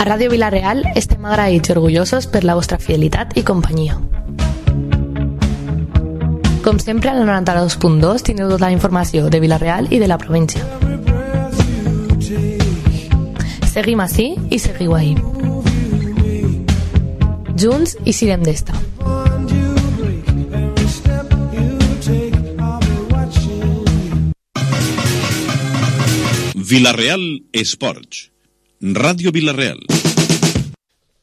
A Ràdio Vila-real estem agraïts i orgullosos per la vostra fidelitat i companyia. Com sempre, al 92.2 teniu tota la informació de Vila-real i de la província. Seguim ací i seguiu ahí. Junts i sirem d'esta. Vila-real Esports. Ràdio Vila-real.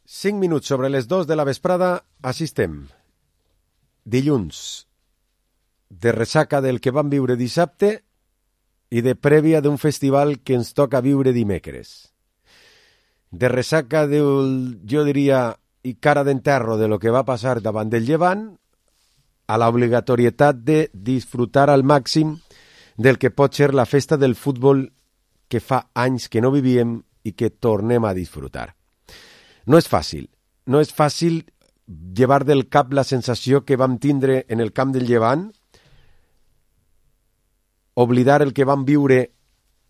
5 minuts sobre les 2 de la vesprada, així estem. Dilluns, de ressaca del que vam viure dissabte i de prèvia d'un festival que ens toca viure dimecres. De ressaca del, jo diria, i cara d'enterro de lo que va passar davant del Llevant, a l'obligatorietat de disfrutar al màxim del que pot ser la festa del futbol que fa anys que no vivíem i que tornem a disfrutar. No és fàcil llevar del cap la sensació que vam tindre en el camp del Llevant, oblidar el que vam viure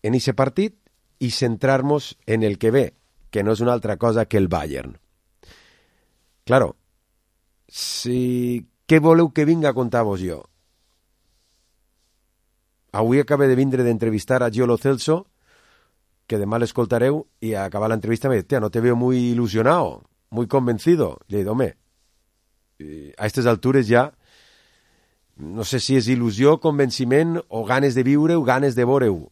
en aquest partit i centrar-nos en el que ve, que no és una altra cosa que el Bayern. Claro, què voleu que vinga a contar-vos jo? Avui acabé de vindre d'entrevistar a Gio Lo Celso, que demà l'escoltareu, i a acabar l'entrevista me diu, no te veo muy ilusionado, muy convencido. Le dic, home, a aquestes altures ja, no sé si és il·lusió, convenciment, o ganes de viure o ganes de veure-ho.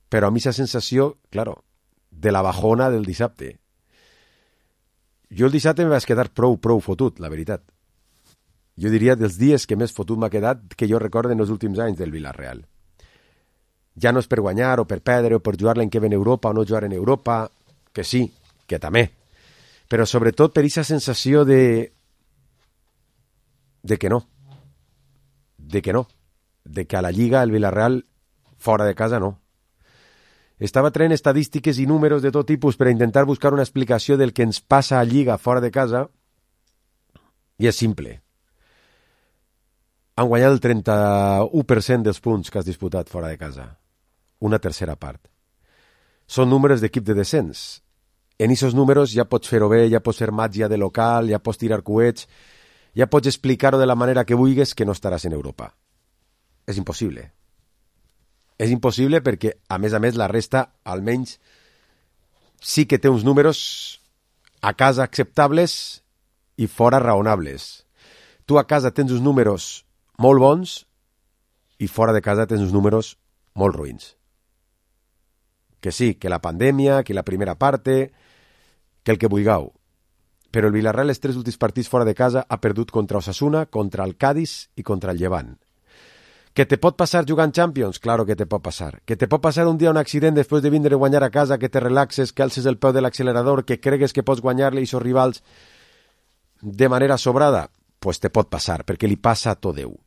Però a mi aquesta sensació, claro, de la bajona del dissabte. Jo el dissabte me vaig quedar prou fotut, la veritat. Jo diria dels dies que més fotut m'ha quedat que jo recorde en els últims anys del Vila-real. Ja no és per guanyar o per perdre o per jugar l'any que ve en Europa o no jugar en Europa, que sí, que també. Però sobretot per aquesta sensació de que no. De que a la Lliga el Vila-real fora de casa no. Estava traient estadístiques i números de tot tipus per intentar buscar una explicació del que ens passa a Lliga fora de casa i és simple. Han guanyat el 31% dels punts que has disputat fora de casa. Una tercera part. Són números d'equip de descens. En aquests números ja pots fer-ho bé, ja pots fer màgia de local, ja pots tirar coets, ja pots explicar-ho de la manera que vulguis que no estaràs en Europa. És impossible. És impossible perquè, a més, la resta, almenys, sí que té uns números a casa acceptables i fora raonables. Tu a casa tens uns números molt bons i fora de casa tens uns números molt ruïns. Que sí, que la pandèmia, que la primera parte, que el que vulgueu. Però el Vila-real els 3 últims partits fora de casa ha perdut contra Osasuna, contra el Cádiz i contra el Llevant. Que te pot passar jugant Champions? Claro que te pot passar. Que te pot passar un dia un accident després de vindre a guanyar a casa, que te relaxes, que alces el peu de l'accelerador, que cregues que pots guanyar-li a aquests rivals de manera sobrada? Pues te pot passar, perquè li passa a tot Déu.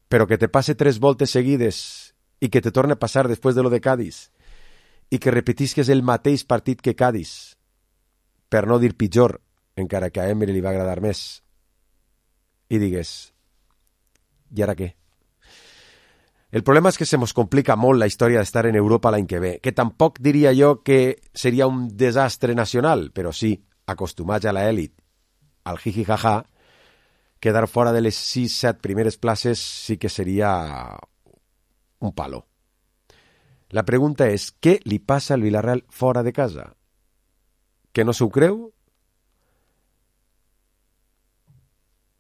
Però que te passe 3 voltes seguides i que te torne a passar després de lo de Cádiz i que repetisques el mateix partit que Cádiz, per no dir pitjor, encara que a Emery li va agradar més, i digues, i ara què? El problema és que se mos complica molt la història d'estar en Europa l'any que ve, que tampoc diria jo que seria un desastre nacional, però sí, acostumats a l'elit, al jiji-jaja, quedar fora de les 6-7 primeres places sí que seria un palo. La pregunta és, què li passa al Vila-real fora de casa? Que no s'ho creu?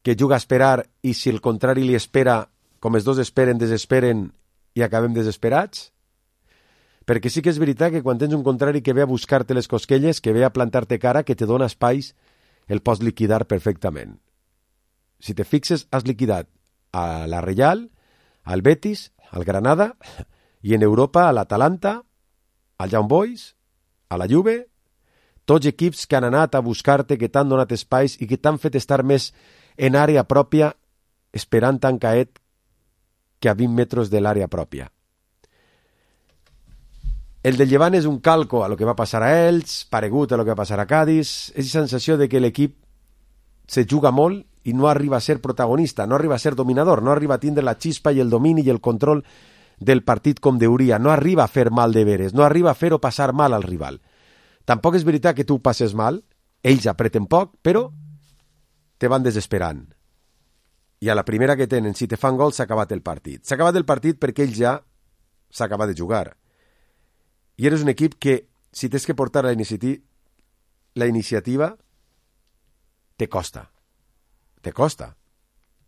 Que juga a esperar i si el contrari li espera, com els dos esperen, desesperen i acabem desesperats? Perquè sí que és veritat que quan tens un contrari que ve a buscar-te les cosquelles, que ve a plantar-te cara, que te dona espais, el pots liquidar perfectament. Si te fixes, has liquidat a la Real, al Betis, al Granada, i en Europa a l'Atalanta, al Young Boys, a la Juve, tots equips que han anat a buscar-te, que t'han donat espais i que t'han fet estar més en àrea pròpia, esperant tan caet que a 20 metres de l'àrea pròpia. El del Llevant és un calco a lo que va passar a ells, paregut a lo que va passar a Cádiz, és la sensació de que l'equip se juga molt i no arriba a ser protagonista, no arriba a ser dominador, no arriba a tindre la xispa i el domini i el control del partit com deuria, no arriba a fer mal deberes, no arriba a fer-ho passar mal al rival. Tampoc és veritat que tu passes mal, ells apreten poc, però te van desesperant. I a la primera que tenen, si te fan gol, s'ha acabat el partit. S'ha acabat el partit perquè ells ja s'ha acabat de jugar. I eres un equip que, si tens que portar la iniciativa, te costa. Te costa.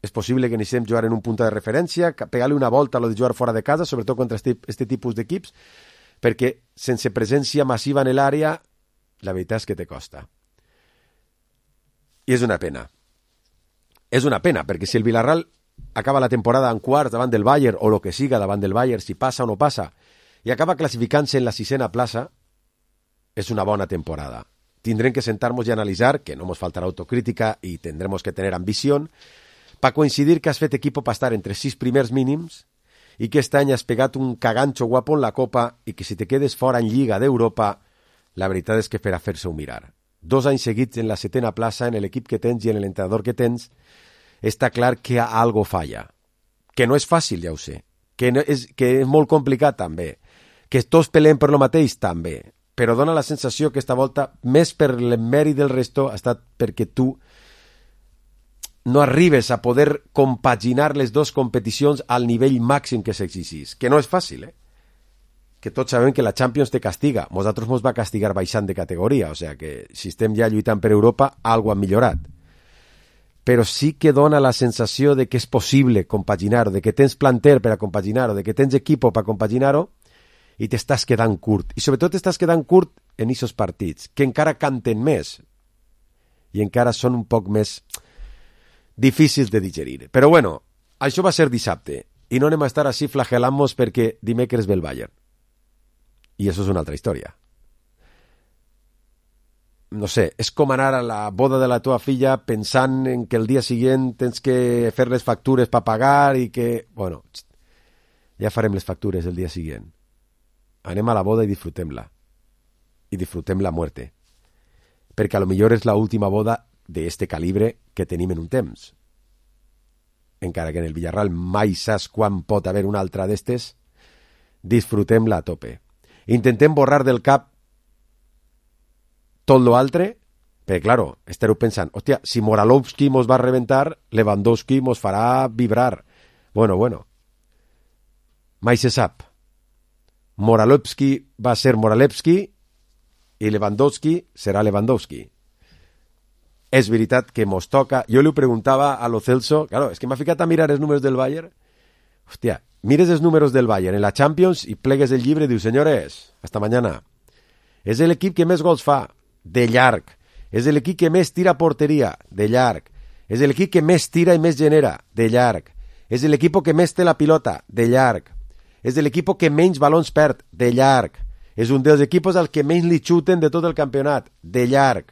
És possible que necessitem jugar en un punt de referència, pegar-li una volta a lo de jugar fora de casa, sobretot contra este tipus d'equips, perquè sense presència massiva en l'àrea, la veritat és que te costa. I és una pena. És una pena, perquè si el Villarreal acaba la temporada en quarts davant del Bayern, o el que siga davant del Bayern, si passa o no passa, i acaba classificant-se en la 6ª plaça, és una bona temporada. Tindrem que sentar-nos i analitzar, que no ens faltarà autocrítica i tendremos que tener ambició, per coincidir que has fet equipo per estar entre 6 primers mínims i que este any has pegat un cagancho guapo en la Copa i que si te quedes fora en Lliga d'Europa, la veritat és que per a fer-se-ho mirar. 2 anys seguits en la 7ª plaça, en l'equip que tens i en l'entrenador que tens, està clar que algo falla. Que no és fàcil, ja ho sé. Que és molt complicat, també. Que tots pelem per lo mateix, també. Però dona la sensació que esta volta, més per l'emmèrit del resto, ha estat perquè tu no arribes a poder compaginar les dues competicions al nivell màxim que s'exigís. Que no és fàcil, que tots sabem que la Champions te castiga. Nosaltres ens va castigar baixant de categoria, o sigui que si estem ja lluitant per Europa, algo ha millorat. Però sí que dona la sensació de que és possible compaginar-ho, de que tens planter per a compaginar-ho, de que tens equipo per a compaginar-ho, i t'estàs quedant curt. I sobretot t'estàs quedant curt en aquests partits, que encara canten més, i encara són un poc més difícils de digerir. Però bueno, això va ser dissabte, i no anem a estar així flagel·lant-nos perquè dimecres ve el Bayern. I això és una altra història. No sé, és com anar a la boda de la teva filla pensant en que el dia següent tens que fer les factures per pagar i que... Bueno, ja farem les factures el dia següent. Anem a la boda i disfrutem-la. I disfrutem la muerte. Perquè a lo millor és la última boda d'este calibre que tenim en un temps. Encara que en el Villarreal mai saps quan pot haver una altra d'estes, disfrutem-la a tope. Intentem borrar del cap tot lo altre, perquè, claro, estareu pensant, hòstia, si Moralovski mos va reventar, Lewandowski mos farà vibrar. Bueno, mai se sap. Moralovski va ser Moralevski i Lewandowski serà Lewandowski. És veritat que mos toca... Jo li preguntava a lo Celso, claro, és que m'ha ficat a mirar els números del Bayern. Hòstia, mires els números del Bayern en la Champions i plegues el llibre i dius, senyores, hasta mañana. És l'equip que més gols fa, de llarg. És l'equip que més tira a porteria, de llarg. És l'equip que més tira i més genera, de llarg. És l'equip que més té la pilota, de llarg. És l'equip que menys balons perd, de llarg. És un dels equips al que menys li xuten de tot el campionat, de llarg.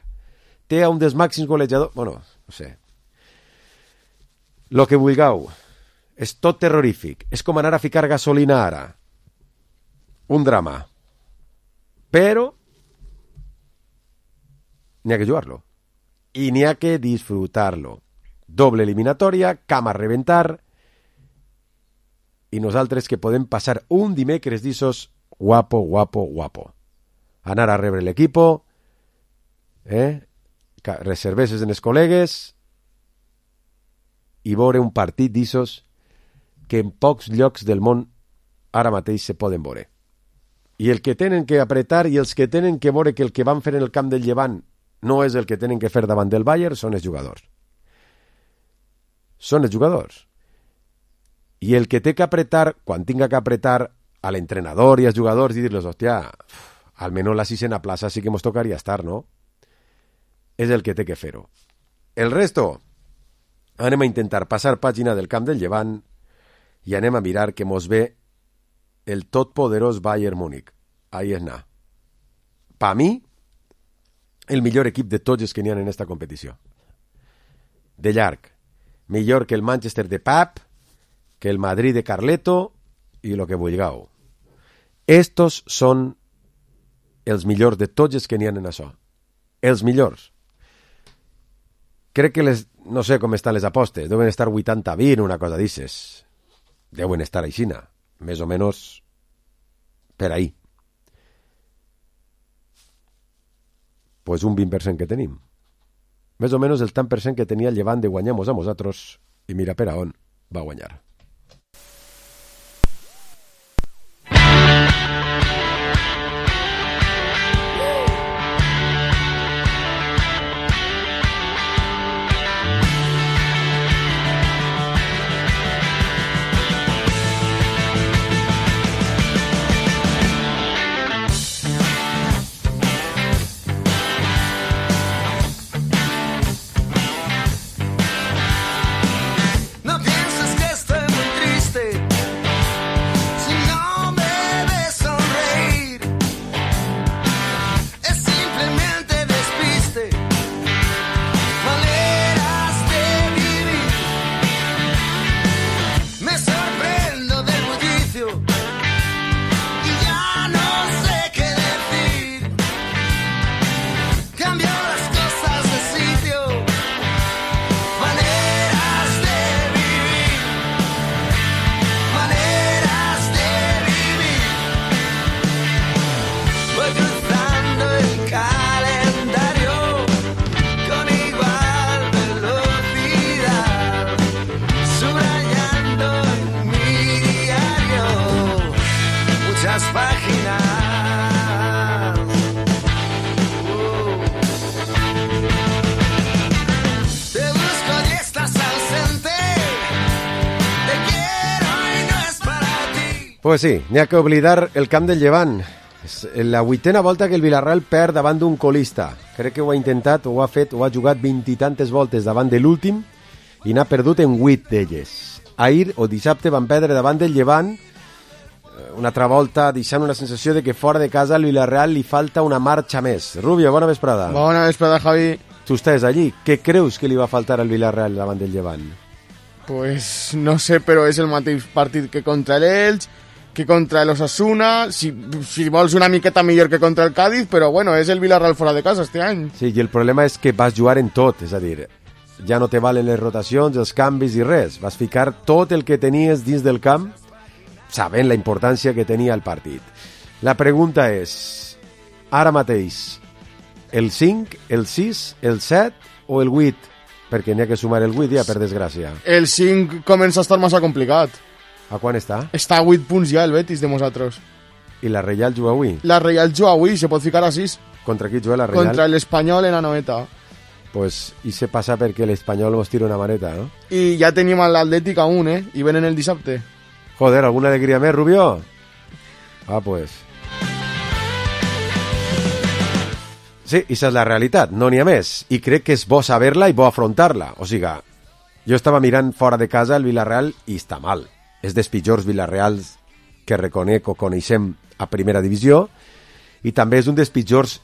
Té un dels màxims golejadors... Bueno, no sé. Lo que vulgueu. És tot terrorífic. És com anar a ficar gasolina ara. Un drama. Però n'hi ha que jugar-lo. I n'hi ha que disfrutar-lo. Doble eliminatòria, cam a reventar, i nosaltres que podem passar un dimecres d'issos guapo. Anar a rebre l'equipo, reserveses en els col·legues i veure un partit d'issos que en pocs llocs del món ara mateix se poden veure. I el que tenen que apretar i els que tenen que veure que el que van fer en el camp del Llevant no és el que tenen que fer davant del Bayern són els jugadors. Són els jugadors. I el que té que apretar, quan tinga que apretar a l'entrenador i als jugadors i dir-los, hòstia, almenys la 6ª plaça sí que mos tocaria estar, no? És el que té que fer-ho. El resto, anem a intentar passar pàgina del camp del Llevant i anem a mirar que mos ve el totpoderós Bayern Múnich. Ahí és anar. Pa mi, el millor equip de tots els que n'hi ha en esta competició. De llarg. Millor que el Manchester de Pep, que el Madrid de Carleto i lo que vulgueu. Estos són els millors de tots els que n'hi ha en això. Els millors. Crec que no sé com estan les apostes, deuen estar 80-20, una cosa d'ixes. Deuen estar aixina, més o menys per ahí. Pues un 20% que tenim. Més o menys el tant per cent que tenia el Llevant de guanyar-nos a nosaltres, i mira per a on va guanyar. Pues sí, n'hi ha que oblidar el camp del Llevant. És la 8a volta que el Villarreal perd davant d'un colista. Crec que ho ha intentat, ho ha fet, ho ha jugat 20 i tantes voltes davant de l'últim i n'ha perdut en 8 d'elles. Ahir o dissabte van perdre davant del Llevant una altra volta deixant una sensació de que fora de casa al Villarreal li falta una marxa més. Rubio, bona vesprada. Bona vesprada, Javi. Tu estàs allí. Què creus que li va faltar al Villarreal davant del Llevant? Pues no sé, però és el mateix partit que contra l'Elx, que contra l'Osasuna, si vols una miqueta millor que contra el Cádiz, però bueno, és el Villarreal fora de casa este any. Sí, i el problema és que vas jugar en tot, és a dir, ja no te valen les rotacions, els canvis i res. Vas ficar tot el que tenies dins del camp, sabent la importància que tenia el partit. La pregunta és, ara mateix, el 5, el 6, el 7 o el 8? Perquè n'hi ha que sumar el 8 ja, per desgràcia. El 5 comença a estar massa complicat. A quan està? Està a 8 punts ja el Betis de nosaltres. I la Reial juga avui? La Reial juga avui, se pot ficar a 6. Contra qui juga la Reial? Contra l'Espanyol en Anoeta. Pues, i se passa perquè l'Espanyol mos tira una maneta, no? I ja tenim l'Atlètic a 1, I venen el dissabte. Joder, ¿alguna alegria més, Rubio? Ah, pues... Sí, aquesta és la realitat, no n'hi ha més. I crec que és bo saber-la i bo afrontar-la. O sigui, jo estava mirant fora de casa el Villarreal i està mal. És dels pitjors Villarreals que reconec o coneixem a primera divisió i també és un dels pitjors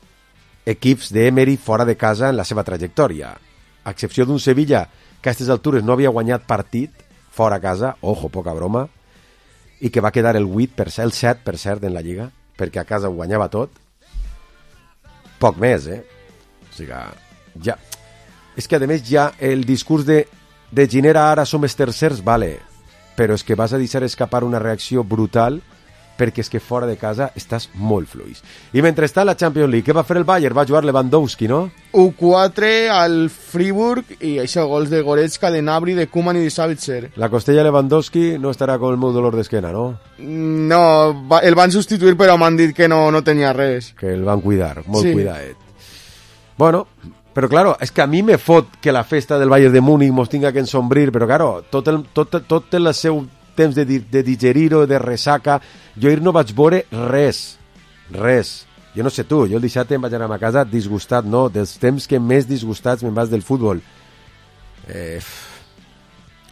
equips d'Emery fora de casa en la seva trajectòria. A excepció d'un Sevilla que a aquestes altures no havia guanyat partit fora a casa, ojo, poca broma, i que va quedar el 8%, el 7% en la Lliga, perquè a casa ho guanyava tot. Poc més, O sigui, ja... És que, a més, ja el discurs de Ginera ara som els tercers, vale, però és que vas a deixar escapar una reacció brutal perquè és que fora de casa estàs molt fluix. I mentrestant la Champions League, què va fer el Bayern? Va jugar Lewandowski, no? 1-4 al Friburg i això, gols de Goretzka, de Gnabry, de Koeman i de Savitzer. La costella Lewandowski no estarà con el meu dolor d'esquena, no? No, el van substituir però m'han dit que no tenia res. Que el van cuidar, molt sí. Cuidadet. Bueno... Però, claro, és que a mi me fot que la festa del Bayern de Múnich mos tinga que ensombrir, però, claro, tot el seu temps de digerir-ho, de ressaca, jo ahir no vaig veure res. Jo no sé tu, jo el dissabte em vaig anar a casa disgustat, no? Dels temps que més disgustats me'n vas del futbol.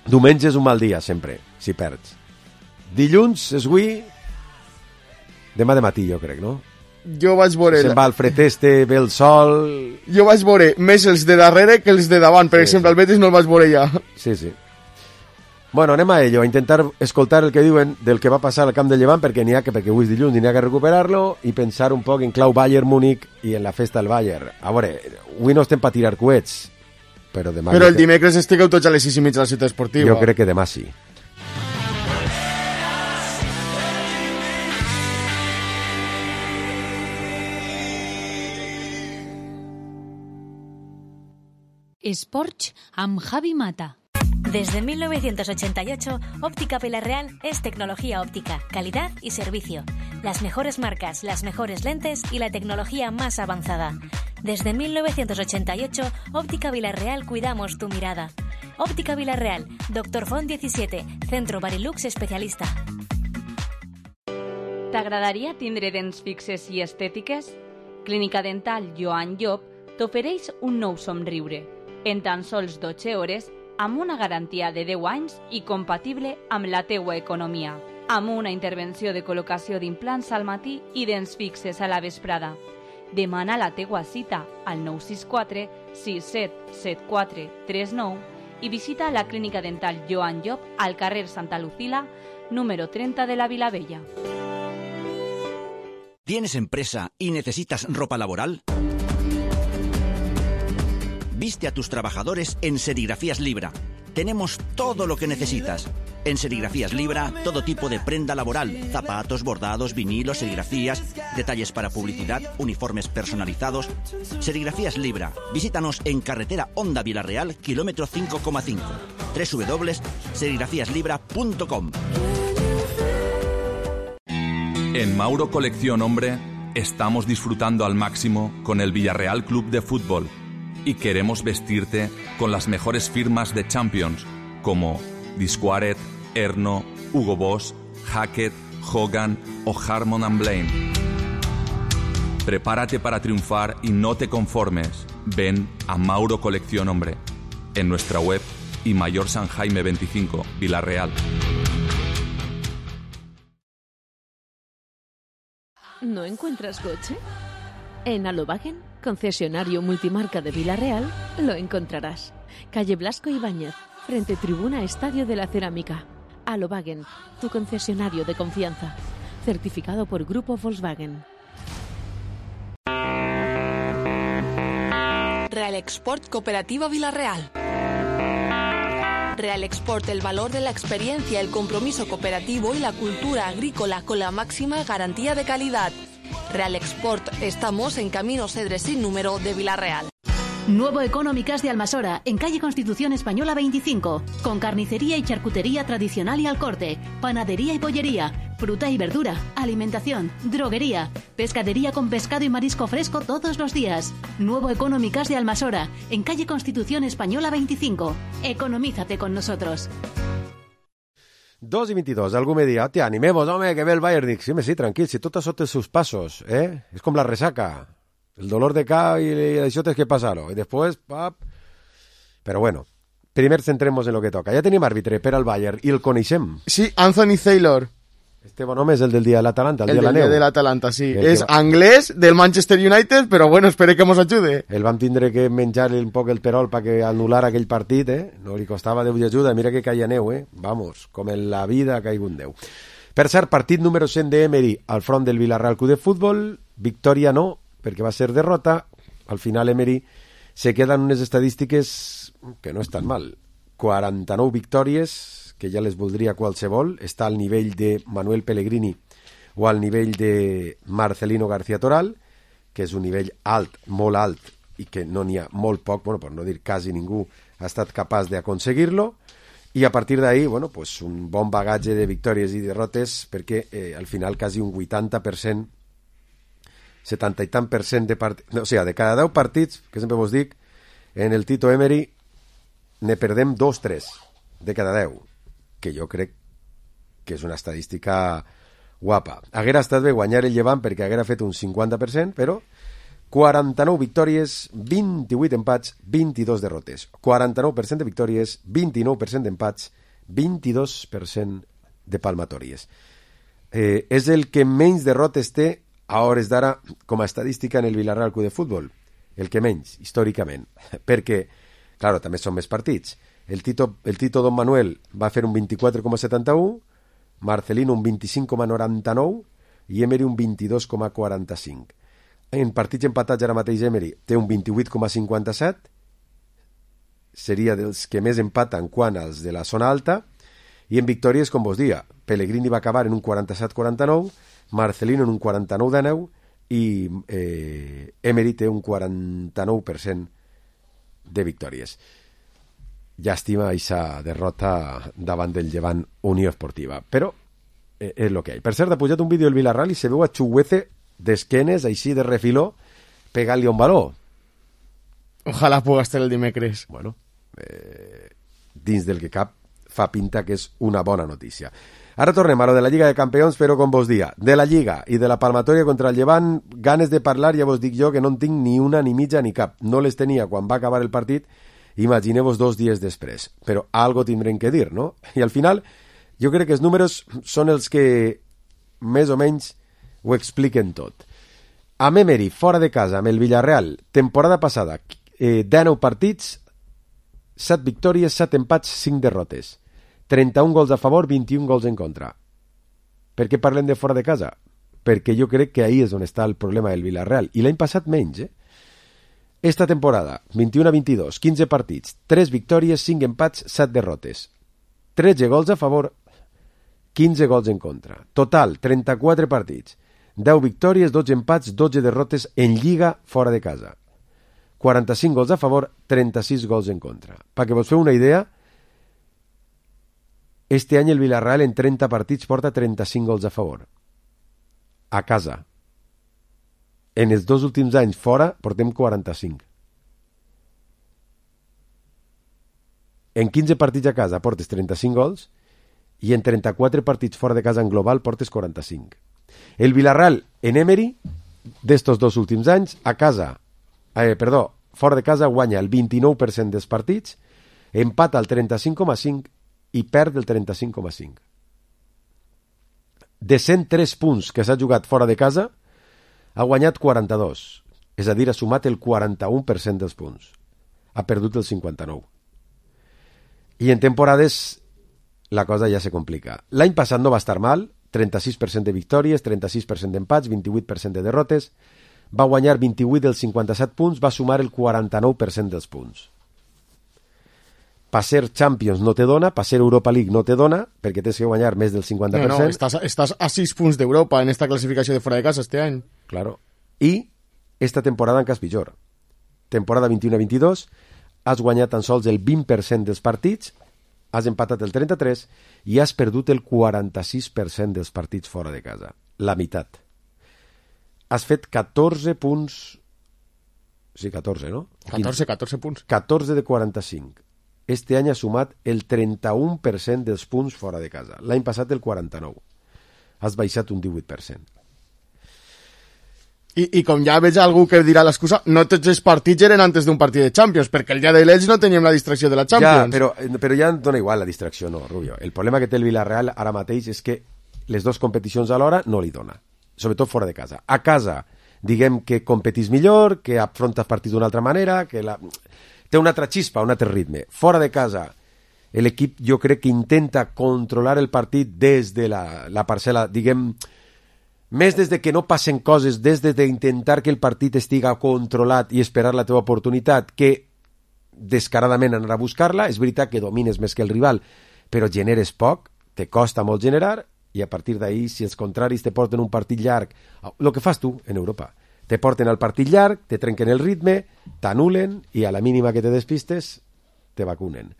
Diumenge és un mal dia, sempre, si perds. Dilluns és avui... Demà de matí, jo crec, no? Jo vaig veure... Se'n va al freteste, ve el sol... Jo vaig veure més els de darrere que els de davant. Per exemple, el Betis no el vaig veure ja. Sí. Bueno, anem a ello, a intentar escoltar el que diuen del que va passar al camp del Llevant, perquè avui és dilluns i n'hi ha que recuperar-lo, i pensar un poc en clau Bayern-Múnich i en la festa del Bayern. A veure, avui no estem per tirar coets, però demà... Però el dimecres estigueu tots a les 6:30 a la ciutat esportiva. Jo crec que demà sí. Esports amb Javi Mata. Desde 1988, Óptica Villarreal es tecnología óptica, calidad y servicio. Las mejores marcas, las mejores lentes y la tecnología más avanzada. Desde 1988, Óptica Villarreal cuidamos tu mirada. Óptica Villarreal, Doctor Font 17, Centro Barilux especialista. T'agradaria tindre dents fixes i estètiques? Clínica Dental Joan Llop t'ofereix un nou somriure. En tan sols 12 hores, amb una garantia de 10 anys i compatible amb la teua economia. Amb una intervenció de col·locació d'implants al matí i dents fixes a la vesprada. Demana la teua cita al 964 6774 39 i visita la Clínica Dental Joan Llop al carrer Santa Lucila, número 30 de la Vilavella. ¿Tienes empresa y necesitas ropa laboral? Viste a tus trabajadores en Serigrafías Libra. Tenemos todo lo que necesitas. En Serigrafías Libra, todo tipo de prenda laboral, zapatos, bordados, vinilos, serigrafías, detalles para publicidad, uniformes personalizados. Serigrafías Libra. Visítanos en carretera Honda Villarreal, kilómetro 5,5. www.serigrafíaslibra.com. En Mauro Colección Hombre estamos disfrutando al máximo con el Villarreal Club de Fútbol y queremos vestirte con las mejores firmas de Champions como Disquaret, Erno, Hugo Boss, Hackett, Hogan o Harmon & Blaine. Prepárate para triunfar y no te conformes. Ven a Mauro Colección Hombre en nuestra web y Mayor San Jaime 25, Villarreal. ¿No encuentras coche? En Alobagen, concesionario multimarca de Villarreal, lo encontrarás. Calle Blasco Ibáñez, frente Tribuna Estadio de la Cerámica. Alobagen, tu concesionario de confianza. Certificado por Grupo Volkswagen. Real Export Cooperativa Villarreal. Real Export, el valor de la experiencia, el compromiso cooperativo y la cultura agrícola con la máxima garantía de calidad. Real Export, estamos en Camino Cedres sin número de Villarreal. Nuevo Económicas de Almasora, en calle Constitución Española 25, con carnicería y charcutería tradicional y al corte, panadería y pollería, fruta y verdura, alimentación, droguería, pescadería con pescado y marisco fresco todos los días. Nuevo Económicas de Almasora, en calle Constitución Española 25. Economízate con nosotros. 2:22, algú me dirà, hòstia, animemos, home, que ve el Bayern. Dic, sí, tranquil, si tot això té els seus passos, És com la resaca. El dolor de cap y això tens que passar-ho. I després, pap... Però bueno, primer centremos en lo que toca. Ja tenim àrbitre per al Bayern i el coneixem. Sí, Anthony Taylor. Este bon home és el del dia de l'Atalanta, el dia de la neu. El del dia de l'Atalanta, sí. És anglès del Manchester United, però bueno, espere que mos ajude. El vam tindre que menjar un poc el perol perquè anul·lar aquell partit, No li costava Déu i ajuda. Mira que caia neu, Vamos, com en la vida ha caigut neu. Per cert, partit número 100 d'Emery al front del Villarreal Club de Futbol. Victòria no, perquè va ser derrota. Al final Emery se quedan unes estadístiques que no estan mal. 49 victòries, que ja les voldria qualsevol. Està al nivell de Manuel Pellegrini o al nivell de Marcelino García Toral, que és un nivell alt, molt alt, i que no n'hi ha molt poc, bueno, per no dir quasi ningú ha estat capaç d'aconseguir-lo. I a partir d'ahí, bueno, pues un bon bagatge de victòries i derrotes, perquè al final quasi un 80%, 70 i tant per cent de partits, no, o sigui, de cada 10 partits, que sempre vos dic, en el Tito Emery ne perdem 2-3 de cada 10, que jo crec que és una estadística guapa. Haguera estat bé guanyar el Llevant perquè haguera fet un 50%, però 49 victòries, 28 empats, 22 derrotes. 49% de victòries, 29% d'empats, 22% de palmatòries. És el que menys derrotes té a hores d'ara com a estadística en el Villarreal Club de Futbol. El que menys, històricament. Perquè, claro, també són més partits. El Tito Don Manuel va fer un 24,71, Marcelino un 25,99 i Emery un 22,45. En partits empatats ara mateix Emery té un 28,57, seria dels que més empaten quant als de la zona alta, i en victòries, com vos dia, Pellegrini va acabar en un 47,49, Marcelino en un 49,19 i Emery té un 49% de victòries. Llàstima aquesta derrota davant del Llevant Unió Esportiva, però és el que hi ha. Per cert, ha pujat un vídeo del Villarreal i se veu a Chuguece d'esquenes, així de refiló, pegant-li un baló. Ojalà puga estar el dimecres. Bueno, dins del que cap fa pinta que és una bona notícia. Ara tornem a lo de la Lliga de Campions, però com vos dia, de la Lliga i de la palmatòria contra el Llevant, ganes de parlar, ja vos dic jo que no en tinc ni una, ni mitja, ni cap. No les tenia quan va acabar el partit, imagineu-vos 2 dies després. Però algo tindrem que dir, no? I al final, jo crec que els números són els que més o menys ho expliquen tot. Amb Emery, fora de casa, amb el Villarreal, temporada passada, 19 partits, 7 victòries, 7 empats, 5 derrotes. 31 gols a favor, 21 gols en contra. Per què parlem de fora de casa? Perquè jo crec que ahí és on està el problema del Villarreal. I l'any passat menys, Esta temporada, 21-22, 15 partits, 3 victòries, 5 empats, 7 derrotes. 13 gols a favor, 15 gols en contra. Total, 34 partits, 10 victòries, 12 empats, 12 derrotes en Lliga fora de casa. 45 gols a favor, 36 gols en contra. Perquè vos feu una idea, este any el Villarreal en 30 partits porta 35 gols a favor. A casa. En els 2 últims anys fora portem 45. En 15 partits a casa portes 35 gols i en 34 partits fora de casa en global portes 45. El Villarreal en Emery d'estos 2 últims anys a casa, fora de casa guanya el 29% dels partits, empata el 35,5% i perd el 35,5%. De 103 punts que s'ha jugat fora de casa, ha guanyat 42, és a dir, ha sumat el 41% dels punts. Ha perdut el 59%. I en temporades la cosa ja se complica. L'any passat no va estar mal, 36% de victòries, 36% d'empats, 28% de derrotes, va guanyar 28 dels 57 punts, va sumar el 49% dels punts. Per ser Champions no te dona, per ser Europa League no te dona, perquè tens que guanyar més del 50%. No, estàs a 6 punts d'Europa en esta classificació de fora de casa este any. Claro. I esta temporada en cas pitjor. Temporada 21-22, has guanyat tan sols el 20% dels partits, has empatat el 33% i has perdut el 46% dels partits fora de casa. La meitat. Has fet 14 punts... Sí, 14, no? 14 punts. 14 de 45. Este any ha sumat el 31% dels punts fora de casa. L'any passat el 49%. Has baixat un 18%. I com ja veig algú que dirà l'excusa, no tots els partits eren antes d'un partit de Champions, perquè el dia de l'Elx no teníem la distracció de la Champions. Ja, però ja dona igual la distracció, no, Rubio. El problema que té el Villarreal ara mateix és que les 2 competicions alhora no li dona, sobretot fora de casa. A casa, diguem que competís millor, que afrontes partits d'una altra manera, que té una altra xispa, un altre ritme. Fora de casa, l'equip jo crec que intenta controlar el partit des de la parcel·la, diguem, més des de que no passen coses, des d'intentar que el partit estiga controlat i esperar la teva oportunitat, que descaradament anar a buscar-la. És veritat que domines més que el rival, però generes poc, te costa molt generar, i a partir d'ahí, si els contraris te porten un partit llarg, el que fas tu en Europa, te porten al partit llarg, te trenquen el ritme, t'anulen, i a la mínima que te despistes, te vacunen.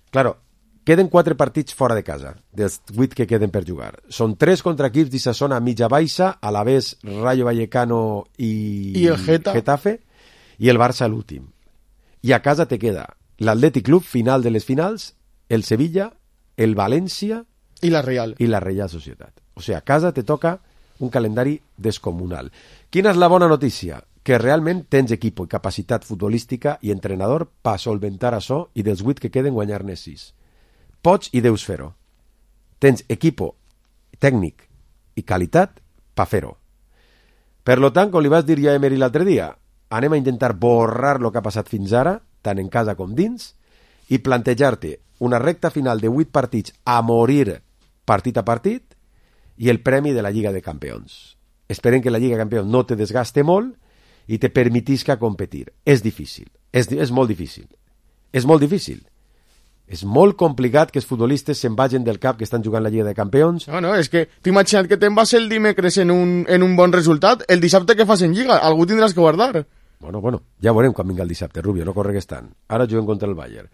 Claro, queden 4 partits fora de casa, dels 8 que queden per jugar. Són 3 contra equips d'Issa zona mitja baixa, a la vez Rayo Vallecano i el Getafe, i el Barça l'últim. I a casa te queda l'Atlètic Club, final de les finals, el Sevilla, el València i la Real Societat. O sigui, a casa te toca un calendari descomunal. Quina és la bona notícia? Que realment tens equip i capacitat futbolística i entrenador per solventar això i dels 8 que queden guanyar-ne 6. Pots i deus fer-ho. Tens equipo, tècnic i qualitat per fer-ho. Per lo tant, com li vas dir ja a Emery l'altre dia, anem a intentar borrar el que ha passat fins ara, tant en casa com dins, i plantejar-te una recta final de 8 partits a morir partit a partit i el premi de la Lliga de Campions. Esperem que la Lliga de Campions no te desgaste molt i te permetisca competir. És difícil. És molt difícil. És molt difícil. És molt complicat que els futbolistes se'n vagin del cap que estan jugant la Lliga de Campions. No, és que t'he imaginat que te'n vas el dimecres en un bon resultat, el dissabte que fas en Lliga, algú tindràs que guardar. Bueno, ja veurem quan vinga el dissabte, Rubio, no corregues tant. Ara juguem contra el Bayern.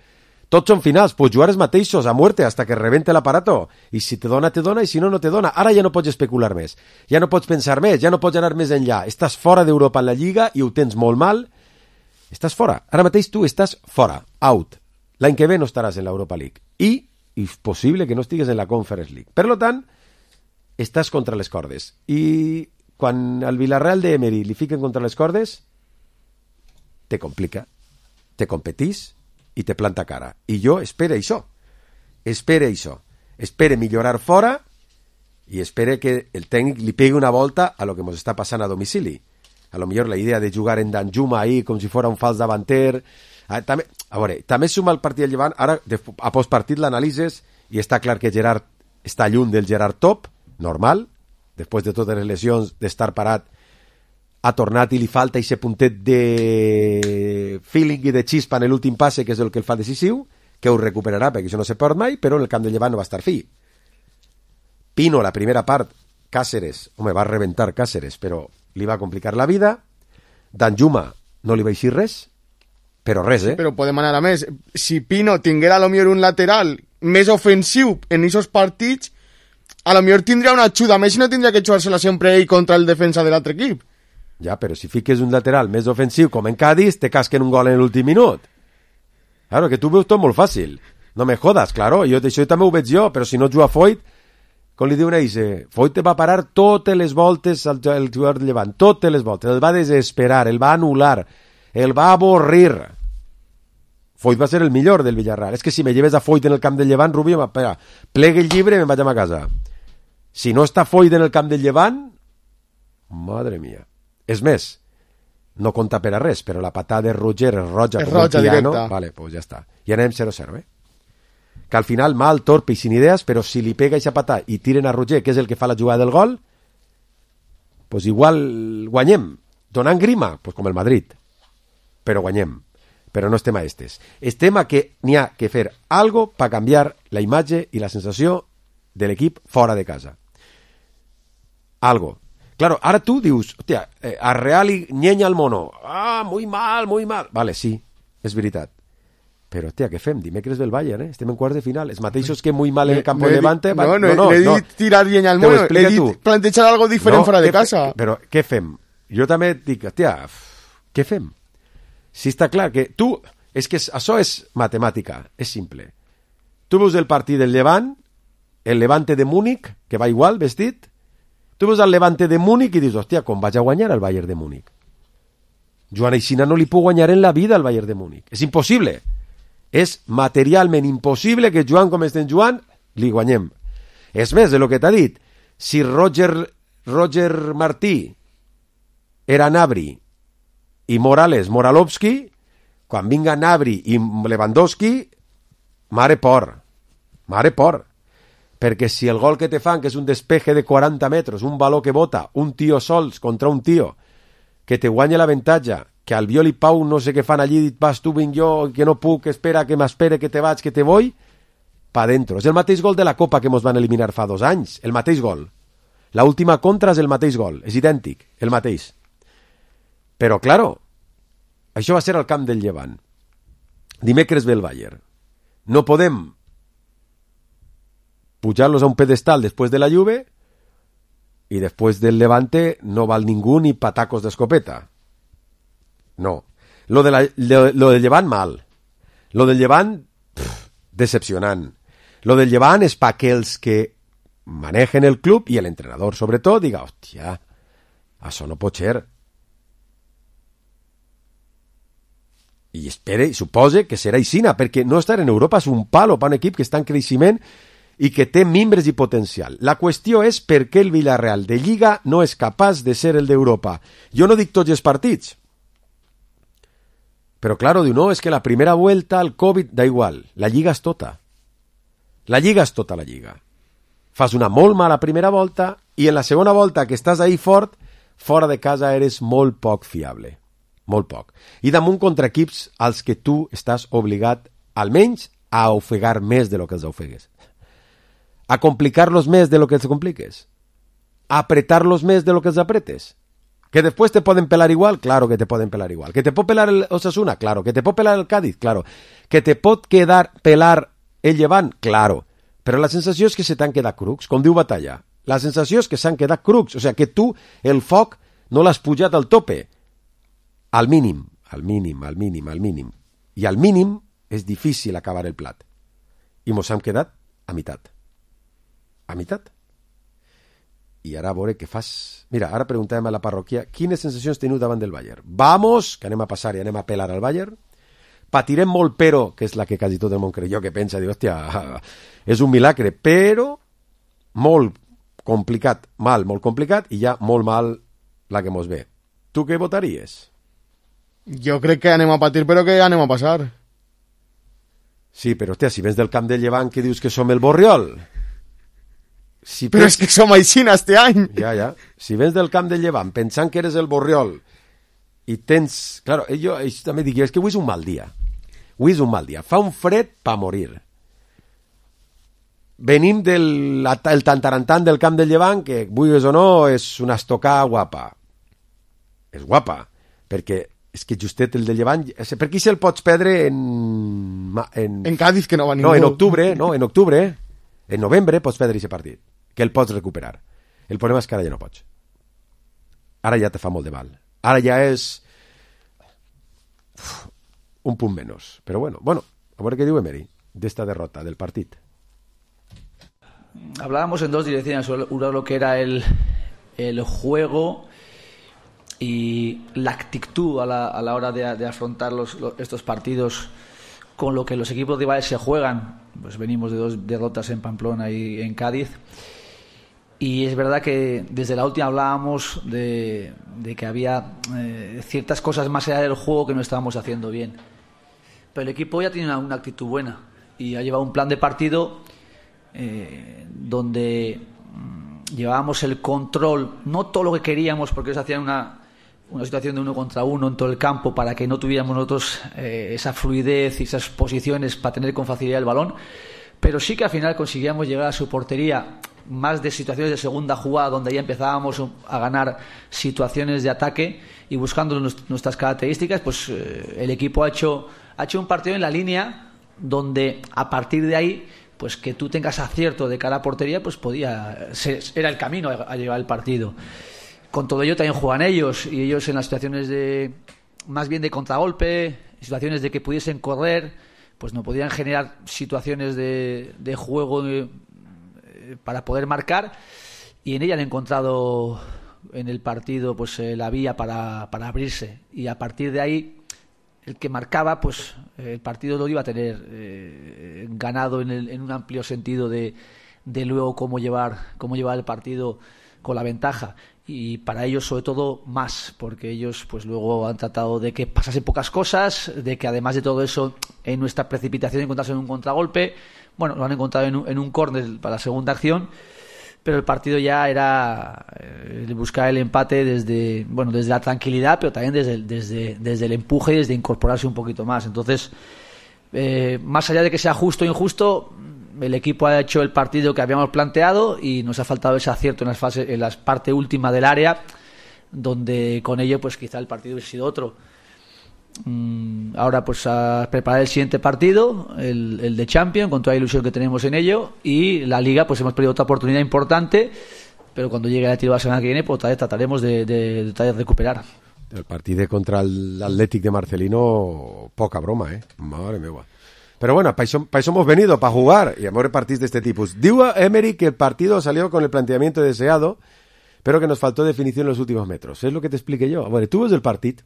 Tots són finals, pots jugar els mateixos a muerte hasta que rebente l'aparato. I si te dona, i si no, no te dona. Ara ja no pots especular més, ja no pots pensar més, ja no pots anar més enllà. Estàs fora d'Europa en la Lliga i ho tens molt mal. Estàs fora. Ara mateix tu estàs fora, out. L'any que ve no estaràs en l'Europa League. I és possible que no estigues en la Conference League. Per tant, estàs contra les cordes. I quan al Villarreal d'Emery li fiquen contra les cordes, te complica, te competís i te planta cara. I jo espero això. Espero millorar fora i espero que el tècnic li pegui una volta a lo que ens està passant a domicili. A lo millor la idea de jugar en Danjuma ahí com si fos un fals davanter. També suma el partit del Llevant. Ara, a postpartit l'analitzes i està clar que Gerard està lluny del Gerard top, normal, després de totes les lesions, d'estar parat, ha tornat i li falta aquest puntet de feeling i de xispa en l'últim passe, que és el que el fa decisiu, que ho recuperarà, perquè això no se perd mai, però en el camp de Llevant no va estar fi. Pino, la primera part, Cáceres, va rebentar Cáceres, però li va complicar la vida. Danjuma no li va eixir res, però res, Però podem anar a més. Si Pino tinguera a lo millor un lateral més ofensiu en aquests partits, a lo millor tindria una ajuda més i no tindria que jugar-se-la sempre ell contra el defensa de l'altre equip. Ja, però si fiques un lateral més ofensiu com en Cádiz, te casquen un gol en l'últim minut. Claro, que tu veus tot molt fàcil. No me jodas, claro, això també ho veig jo, però si no juga Foyt, com li diuen ells, Foyt va parar totes les voltes al jugador de Llevant, totes les voltes, el va desesperar, el va anul·lar, el va avorrir. Foyt va ser el millor del Villarreal. És que si me lleves a Foyt en el camp del Llevant, Rubio, plegue el llibre i me'n vaig a ma casa. Si no està Foyt en el camp del Llevant, madre mía. És més, no compta per a res, però la patada de Roger és roja, és roja piano. Directa. Vale, pues ja està. I anem 0-0, Que al final mal, torpe i sin idees, però si li pega aquesta patada i tiren a Roger, que és el que fa la jugada del gol, pues igual guanyem. Donant grima, pues com el Madrid. Però guanyem. Però no estem a estes. Estem a que n'hi ha que fer algo per canviar la imatge i la sensació de l'equip fora de casa. Algo. Claro, ara tu dius, hòstia, a Real i nyenya el mono. Muy mal. Vale, sí, és veritat. Però, hòstia, què fem? Dimecres del Bayern, Estem en quarts de final. Els mateixos que muy mal en el campo de Levante. No, he dit tirar llenya al mono. He dit plantejar algo diferent fora de casa. Però, què fem? Jo també dic, hòstia, què fem? Si està clar que tu... És que això és matemàtica, és simple. Tu veus el partit del Levant, el Levante de Múnich, que va igual, vestit. Tu veus el Levante de Múnich i dius, hòstia, com vaig a guanyar el Bayern de Múnich? Joan Aixina no li puc guanyar en la vida al Bayern de Múnich. És impossible. És materialment impossible que jugant com estem jugant li guanyem. És més, de lo que t'ha dit, si Roger Martí era Gnabry i Moralovski, quan vinga Gnabry i Lewandowski, mare por. Perquè si el gol que te fan, que és un despeje de 40 metres, un baló que bota, un tio sols contra un tio, que te guanya l'avantatge, que Albiol i Pau no sé què fan allí, dit, vas tu, vinc jo, que no puc, espera, que m'espere, que te vaig, que te voy, pa dentro. És el mateix gol de la Copa que mos van eliminar fa 2 anys, el mateix gol. La última contra és el mateix gol, és idèntic, el mateix. Però, claro, això va ser al camp del Llevant. Dimecres ve el Bayern. No podem pujar-los a un pedestal després de la Juve i després del Levante no val ningú ni patacos d'escopeta. No. Lo del Llevant, mal. Lo del Llevant, decepcionant. Lo del Llevant és pa que els que manejen el club i l'entrenador, sobretot, diga, hòstia, això no pot ser. I espere, i supose que serà aixina, perquè no estar en Europa és un palo per un equip que està en creixement i que té mimbres i potencial. La qüestió és per què el Villarreal de Lliga no és capaç de ser el d'Europa. Jo no dic tots els partits, però claro, diu, no, és que la primera vuelta, el Covid, da igual, la Lliga és tota. La Lliga és tota la Lliga. Fas una molt mala primera volta i en la segona volta que estàs ahí fort, fora de casa eres molt poc fiable. Molt poc. I damunt contra equips als que tu estàs obligat almenys a ofegar més de lo que els ofegues. A complicar-los més de lo que els compliques. A apretar-los més de lo que els apretes. ¿Que después te pueden pelar igual? Claro que te pueden pelar igual. ¿Que te pot pelar el Osasuna? Claro. ¿Que te pot pelar el Cádiz? Claro. ¿Que te pot pelar el Llevant? Claro. Però la sensació és que se t'han quedat crucs, com diu Batalla. La sensació és que s'han quedat crucs, o sigui que tu el foc no l'has pujat al tope. Al mínim. I al mínim és difícil acabar el plat. I mos hem quedat a meitat. A meitat. I ara a veure què fas. Mira, ara preguntàvem a la parròquia quines sensacions teniu davant del Bayern. Vamos, que anem a passar i anem a pelar al Bayern. Patirem molt, però, que és la que quasi tot el món creu jo, que pensa, diu, hòstia, és un milagre, però molt complicat, molt complicat, i ja molt mal la que mos ve. Tu què votaries? Jo crec que anem a patir, però que anem a passar. Sí, però, hòstia, si vens del camp del Llevant que dius que som el Borriol... Si però és que som aixina este any. Ja. Si vens del camp del Llevant pensant que eres el Borriol i tens... Claro, jo també dic, és que avui és un mal dia. Avui és un mal dia. Fa un fred pa morir. Venim del tantarantant del camp del Llevant, que, vulguis o no, és una estocada guapa. És guapa, perquè és que justet el del Llevant... Per qui se'l pots perdre en Cádiz, que no va ningú. No, en octubre, en novembre pots perdre aquest partit, que el pots recuperar. El problema és que ara ja no pots. Ara ja te fa molt de mal. Ara ja és un punt menys. Però bueno, a veure què diu Emery d'esta derrota del partit. Hablábamos en dos direcciones, una lo que era el juego y la actitud a la hora de afrontar estos partidos con lo que los equipos rivales se juegan. Pues venimos de 2 derrotas en Pamplona y en Cádiz, y es verdad que desde la última hablábamos de que había ciertas cosas más allá del juego que no estábamos haciendo bien, pero el equipo ya tiene una actitud buena y ha llevado un plan de partido donde llevábamos el control, no todo lo que queríamos, porque ellos hacían una situación de 1 contra 1 en todo el campo para que no tuviéramos nosotros esa fluidez y esas posiciones para tener con facilidad el balón, pero sí que al final conseguíamos llegar a su portería, más de situaciones de segunda jugada donde ya empezábamos a ganar situaciones de ataque y buscando nuestras características. Pues el equipo ha hecho un partido en la línea donde a partir de ahí, pues que tú tengas acierto de cara a portería, pues era el camino a llevar el partido. Con todo ello también juegan ellos, y ellos en las situaciones más bien de contragolpe, situaciones de que pudiesen correr, pues no podían generar situaciones de juego para poder marcar, y en ella han encontrado en el partido pues la vía para abrirse, y a partir de ahí el que marcaba, pues el partido lo iba a tener ganado en un amplio sentido de luego cómo llevar el partido con la ventaja. Y para ellos sobre todo más, porque ellos pues luego han tratado de que pasasen pocas cosas, de que además de todo eso en nuestra precipitación de encontrarse en un contragolpe, bueno, lo han encontrado en un córner para la segunda acción, pero el partido ya era buscar el empate desde la tranquilidad, pero también desde el empuje y desde incorporarse un poquito más. Entonces, más allá de que sea justo o injusto, el equipo ha hecho el partido que habíamos planteado y nos ha faltado ese acierto en la parte última del área, donde con ello pues quizá el partido hubiese sido otro. Ahora pues a preparar el siguiente partido, el de Champions, con toda la ilusión que tenemos en ello, y la Liga pues hemos perdido otra oportunidad importante, pero cuando llegue el tiro la semana que viene pues trataremos de recuperar. El partido contra el Athletic de Marcelino, poca broma, madre mía. Pero bueno, para eso hemos venido, para jugar y a veure partits de este tipo. Diu Emery que el partido salió con el planteamiento deseado, pero que nos faltó definición en los últimos metros. Es lo que te expliqué yo. Bueno, tu ves el partit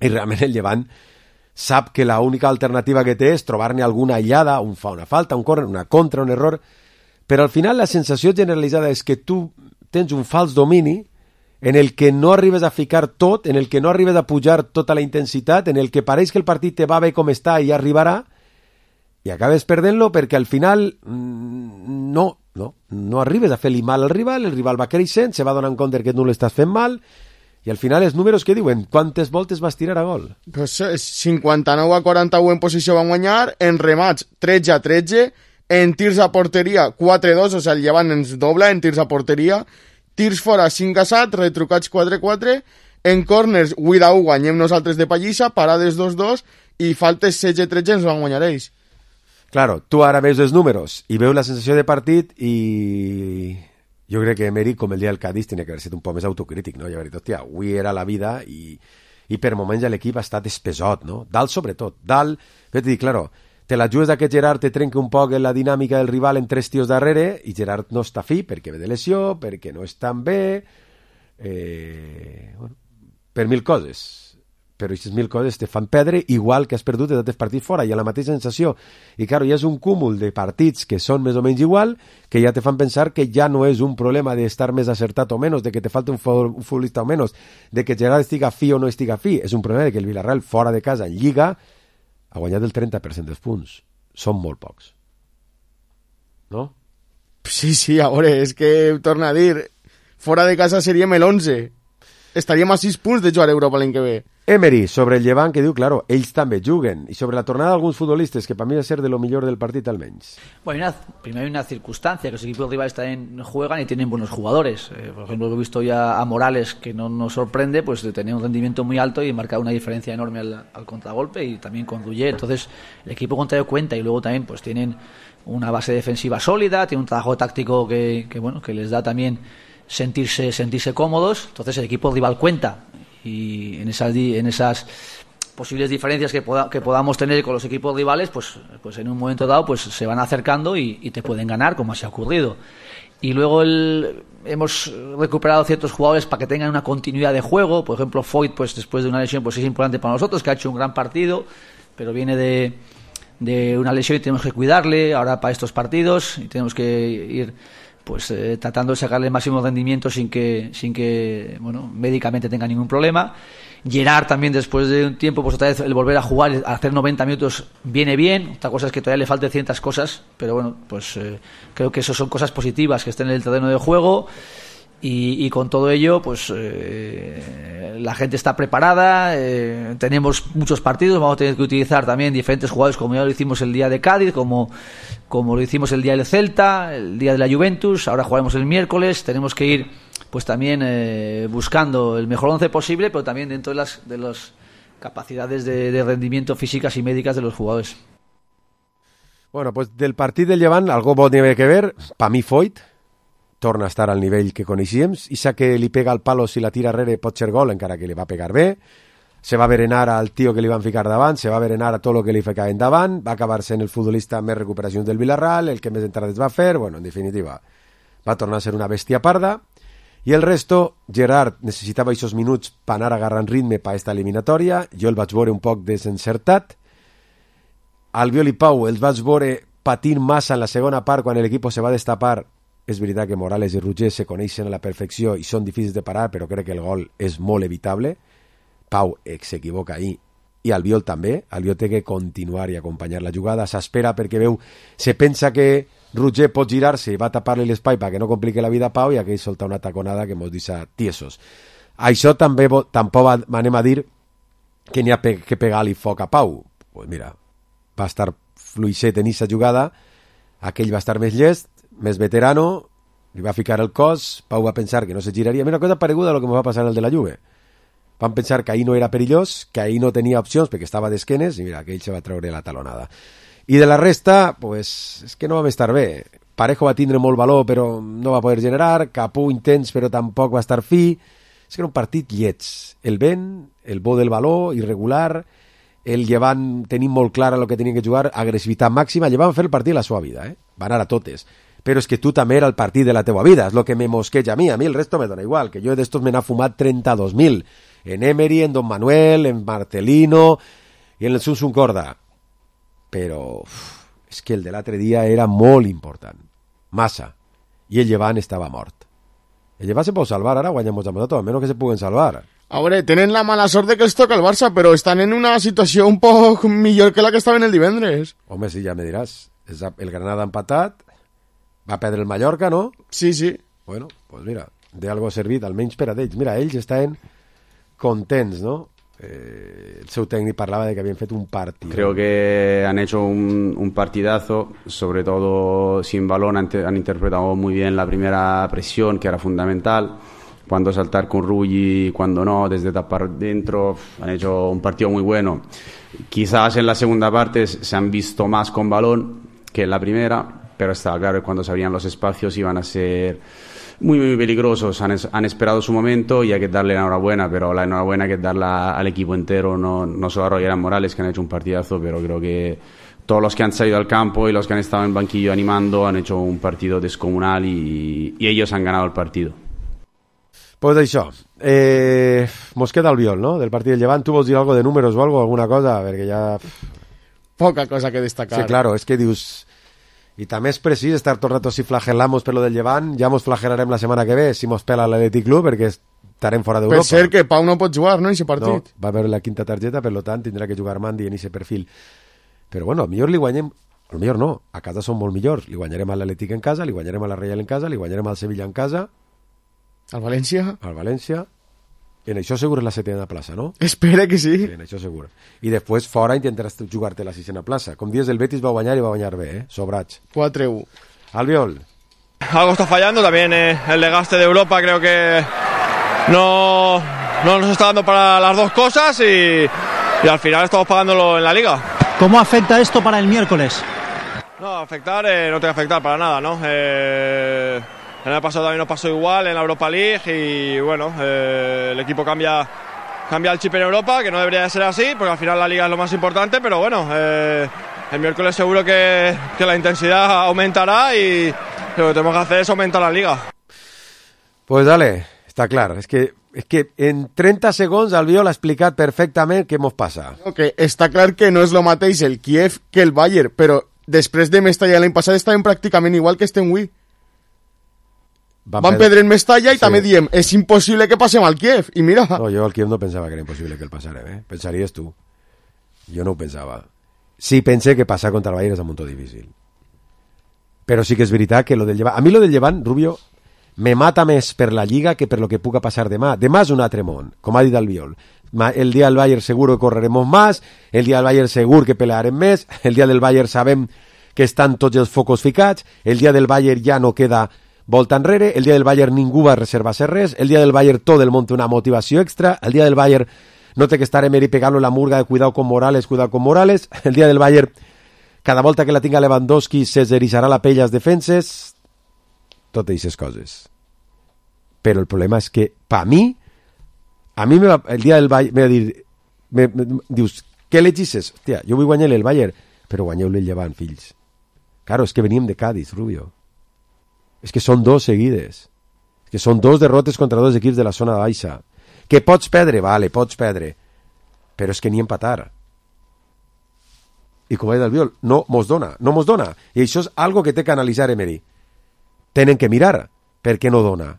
i realment el Llevant sap que la única alternativa que té és trobar-ne alguna aïllada, fa una falta, un córner, una contra, un error, però al final la sensació generalitzada és que tu tens un fals domini en el que no arribes a ficar tot, en el que no arribes a pujar tota la intensitat, en el que pareix que el partit te va bé com està i arribarà, i acabes perdent-lo perquè al final no arribes a fer-li mal al rival, el rival va creixent, se va donant compte que no l'estàs fent mal, i al final els números que diuen, quantes voltes vas tirar a gol? Pues 59 a 41 en posició van guanyar, en remats 13 a 13, en tirs a porteria 4-2, o sigui, el Llevant ens dobla en tirs a porteria, tirs fora 5 a 7, retrucats 4-4, En corners, 8-1 guanyem nosaltres de pallissa, parades 2-2 i faltes 16-13 ens van guanyar ells. Claro, tu ara veus els números i veus la sensació de partit i jo crec que Emery, com el dia del Cádiz, tenia que haver estat un poc més autocrític, no? I haver dit, hòstia, avui era la vida i per moments l'equip ha estat espesot, no? Dalt sobretot, dalt, jo t'he dit, claro, te la jugues que Gerard te trenca un poc en la dinàmica del rival en 3 tios darrere i Gerard no està fi perquè ve de lesió, perquè no està bé, bueno, per 1000 coses. Però aquestes 1000 coses te fan perdre igual que has perdut de tots els partits fora, i ha la mateixa sensació. I claro, ja és un cúmul de partits que són més o menys igual, que ja te fan pensar que ja no és un problema d'estar més acertat o menys, de que te falta un futbolista o menys, de que Gerard estiga fi o no estiga fi. És un problema de que el Villarreal fora de casa en Lliga ha guanyat el 30% dels punts. Són molt pocs. No? Sí, a veure, és que torna a dir, fora de casa seríem l'11. Estaríem a 6 punts de jugar a Europa l'any que ve. Emery, sobre el Llevant, que diu, claro, ells també juguen, i sobre la tornada d'alguns futbolistas, que para mí va a ser de lo mejor del partido almenys. Bueno, primero hay una circunstancia, que los equipos rivales también juegan y tienen buenos jugadores. Por ejemplo, he visto ya a Morales, que no nos sorprende, pues de tener un rendimiento muy alto y marcar una diferencia enorme al contragolpe, y también con Rullet. Entonces, el equipo contrario cuenta, y luego también pues tienen una base defensiva sólida, tienen un trabajo táctico que les da también sentirse cómodos. Entonces el equipo rival cuenta, y en esas posibles diferencias que podamos tener con los equipos rivales, pues en un momento dado pues se van acercando y te pueden ganar, como así ha ocurrido. Y luego hemos recuperado ciertos jugadores para que tengan una continuidad de juego. Por ejemplo, Foyt, pues después de una lesión, pues es importante para nosotros, que ha hecho un gran partido, pero viene de una lesión y tenemos que cuidarle ahora para estos partidos, y tenemos que ir pues tratando de sacarle el máximo rendimiento sin que bueno, médicamente tenga ningún problema. Gerard también, después de un tiempo, pues otra vez el volver a jugar, a hacer 90 minutos viene bien. Otra cosa es que todavía le falten ciertas cosas, pero bueno, pues creo que eso son cosas positivas, que estén en el terreno de juego. Y con todo ello, pues la gente está preparada, tenemos muchos partidos, vamos a tener que utilizar también diferentes jugadores, como ya lo hicimos el día de Cádiz, como lo hicimos el día del Celta, el día de la Juventus, ahora jugaremos el miércoles. Tenemos que ir pues también buscando el mejor 11 posible, pero también dentro de las capacidades de rendimiento físicas y médicas de los jugadores. Bueno, pues del partido del Llevant, algo bo tiene que ver, para mí Foyt torna a estar al nivell que coneixíem, i sa que li pega al palo si la tira arrere pot ser gol, encara que li va pegar bé, se va berenar al tio que li van ficar davant, se va berenar a tot el que li ficaven davant, va acabar sent el futbolista amb més recuperacions del Villarreal, el que més entrades va fer, bueno, en definitiva, va tornar a ser una bèstia parda, i el resto, Gerard necessitava aquests minuts per anar agarrant ritme per esta eliminatòria, jo el vaig veure un poc desencertat, Albiol i Pau els vaig veure patint massa en la segona part quan l'equip se va destapar. És veritat que Morales i Rugger se coneixen a la perfecció i són difícils de parar, però crec que el gol és molt evitable. Pau s'equivoca ahí, i Albiol també. Albiol té que continuar i acompanyar la jugada. S'espera perquè se pensa que Rugger pot girar-se i va tapar-li l'espai perquè no compliqui la vida a Pau, i aquell solta una taconada que mos deixa tiesos. Això també tampoc anem a dir que n'hi ha que pegar-li foc a Pau. Pues mira, va estar fluixet en aquesta jugada, aquell va estar més llest, més veterano, li va ficar el cos, Pau va pensar que no se giraria. Una cosa pareguda a lo que me va passar en el de la Juve. Van pensar que ahí no era perillós, que ahí no tenia opcions perquè estava d'esquenes, i mira, que ell se va treure la talonada. I de la resta, pues, és que no vam estar bé. Parejo va tindre molt valor, però no va poder generar, Capú intens, però tampoc va estar fi. És que era un partit lleig. El vent, el bo del valor, irregular, el Llevant tenim molt clara el que tenien que jugar, agressivitat màxima. Llevant fer el partit a la seva vida, va anar a totes. Però és que tu també era el partit de la teua vida, és el que me mosqueja a mi el resto me dona igual, que jo d'estos me n'ha fumat 32.000, en Emery, en Don Manuel, en Marcelino i en el Sunsun Corda, però és que el de l'altre dia era molt important, massa, i el Llevant estava mort. El Llevant se pot salvar, ara guanyamos a tot, almenys que se puguen salvar. A veure, tenen la mala sort de que els toca el Barça, però estan en una situació un poc millor que la que estaven el divendres. Home, sí, ja me diràs, el Granada empatat, va perdre el Mallorca, no? Sí, sí. Bueno, pues mira, de algo ha servit, almenys per a ells. Mira, ells estaven contents, ¿no? El seu técnico parlava de que habían hecho un partido. Creo que han hecho un partidazo, sobre todo sin balón, han interpretado muy bien la primera presión, que era fundamental. cuándo saltar con Rulli, cuándo no, desde tapar dentro. Han hecho un partido muy bueno. Quizás en la segunda parte se han visto más con balón que en la primera, pero estaba claro que cuando se abrían los espacios iban a ser muy, muy peligrosos. Han esperado su momento y hay que darle la enhorabuena, pero la enhorabuena hay que darla al equipo entero, no solo a Roger Morales, que han hecho un partidazo, pero creo que todos los que han salido al campo y los que han estado en banquillo animando han hecho un partido descomunal y ellos han ganado el partido. Pues això, mos queda el viol, no?, del partit del Llevant. Tu vols dir algo de números o algo, alguna cosa? Perquè ja... Poca cosa que destacar. Sí, claro, és que dius... I també és precís estar tot el rato si flagel·lamos per lo del Llevant. Ja mos flagelarem la setmana que ve si mos pela l'Atlètic Club, perquè estarem fora d'Europa. Per ser que Pau no pot jugar, no, en aquest partit? No, va haver la quinta targeta, per tant tindrà que jugar Mandi en aquest perfil. Però bueno, millor li guanyem... Millor no, a casa són molt millors. Li guanyarem a l'Atlètic en casa, li guanyarem a la Reial en casa, li guanyarem al Sevilla en casa. Al València? Al València. En això segur és la setena plaça, ¿no? Espera que sí. En això segur. I després fora intentaràs jugar-te la sisena plaça. Com dius, el Betis va guanyar i va guanyar bé, sobrats. 4-1. Albiol. Algo está fallando, también el desgaste de Europa creo que no nos está dando para las dos cosas y al final estamos pagándolo en la Liga. ¿Cómo afecta esto para el miércoles? No, afectar no tiene que afectar para nada, ¿no? El año pasado también nos pasó igual en la Europa League y bueno, el equipo cambia el chip en Europa, que no debería de ser así, porque al final la Liga es lo más importante, pero bueno, el miércoles seguro que la intensidad aumentará y lo que tenemos que hacer es aumentar la Liga. Pues dale, està clar, és que en 30 segons Albiol ha explicat perfectament què mos passa. No, que està clar que no és el mateix el Kiev que el Bayern, però després de Mestalla l'any passat estaven pràcticament igual que estem avui. Van perdre en Mestalla i sí. També diem, és impossible que passem al Kiev, i mira... No, jo al Kiev no pensava que era impossible que el passarem, pensaries tu. Jo no ho pensava. Sí, pense que passar contra el Bayern és un muntó difícil. Però sí que és veritat que lo del Llevant... A mi lo del Llevant, Rubio, me mata més per la Lliga que per lo que puga passar demà. Demà és un altre món, com ha dit Albiol. El dia del Bayern seguro que correremos más, el dia del Bayern segur que pelearem més, el dia del Bayern sabem que estan tots els focos ficats, el dia del Bayern ja no queda volta enrere, el dia del Bayern ningú va reservar-se res, el dia del Bayern tot el món té una motivació extra, el dia del Bayern no té que estar Emery pegant la murga de cuidado con Morales, el dia del Bayern cada volta que la tinga Lewandowski se eriçarà la pell als defenses, totes aquestes coses. Però el problema és que, per mi, el dia del Bayern me va dir, dius, què legisses? Hòstia, jo vull guanyar el Bayern, però guanyeu-li el Llevant, fills. Claro, és que veníem de Cádiz, Rubio. És que són dos seguides. És que són dos derrotes contra dos equips de la zona baixa. Que pots perdre? Vale, pots perdre. Però és que ni empatar. I com ha dit Albiol, no mos dona. I això és algo que té que analitzar Emery. Tenen que mirar per què no dona.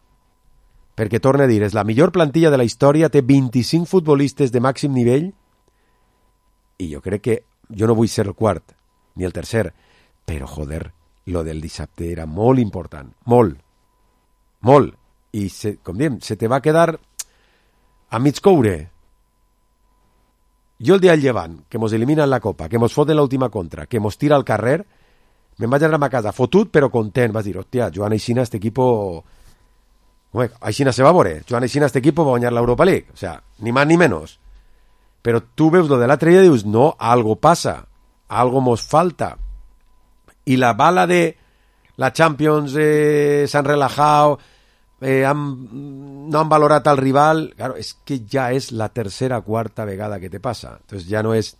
Perquè, torna a dir, és la millor plantilla de la història, té 25 futbolistes de màxim nivell i jo crec que jo no vull ser el quart, ni el tercer, però, joder, lo del dissabte era molt important, molt, i com diem, se te va quedar a mig coure. Jo el dia del Llevant, que mos eliminen la Copa, que mos foten l'última contra, que mos tira al carrer, me'n vaig anar a ma casa fotut però content, vas dir, hòstia, Joan Aixina, este equipo... Aixina se va veure, Joan Aixina, este equipo va guanyar l'Europa League, o sea, ni más ni menos. Però tu veus lo de l'altre dia i dius, no, algo passa, algo mos falta. Y la bala de la Champions se han relajado, no han valorat al rival, claro, es que ya es la tercera o cuarta vegada que te pasa. Entonces ya no es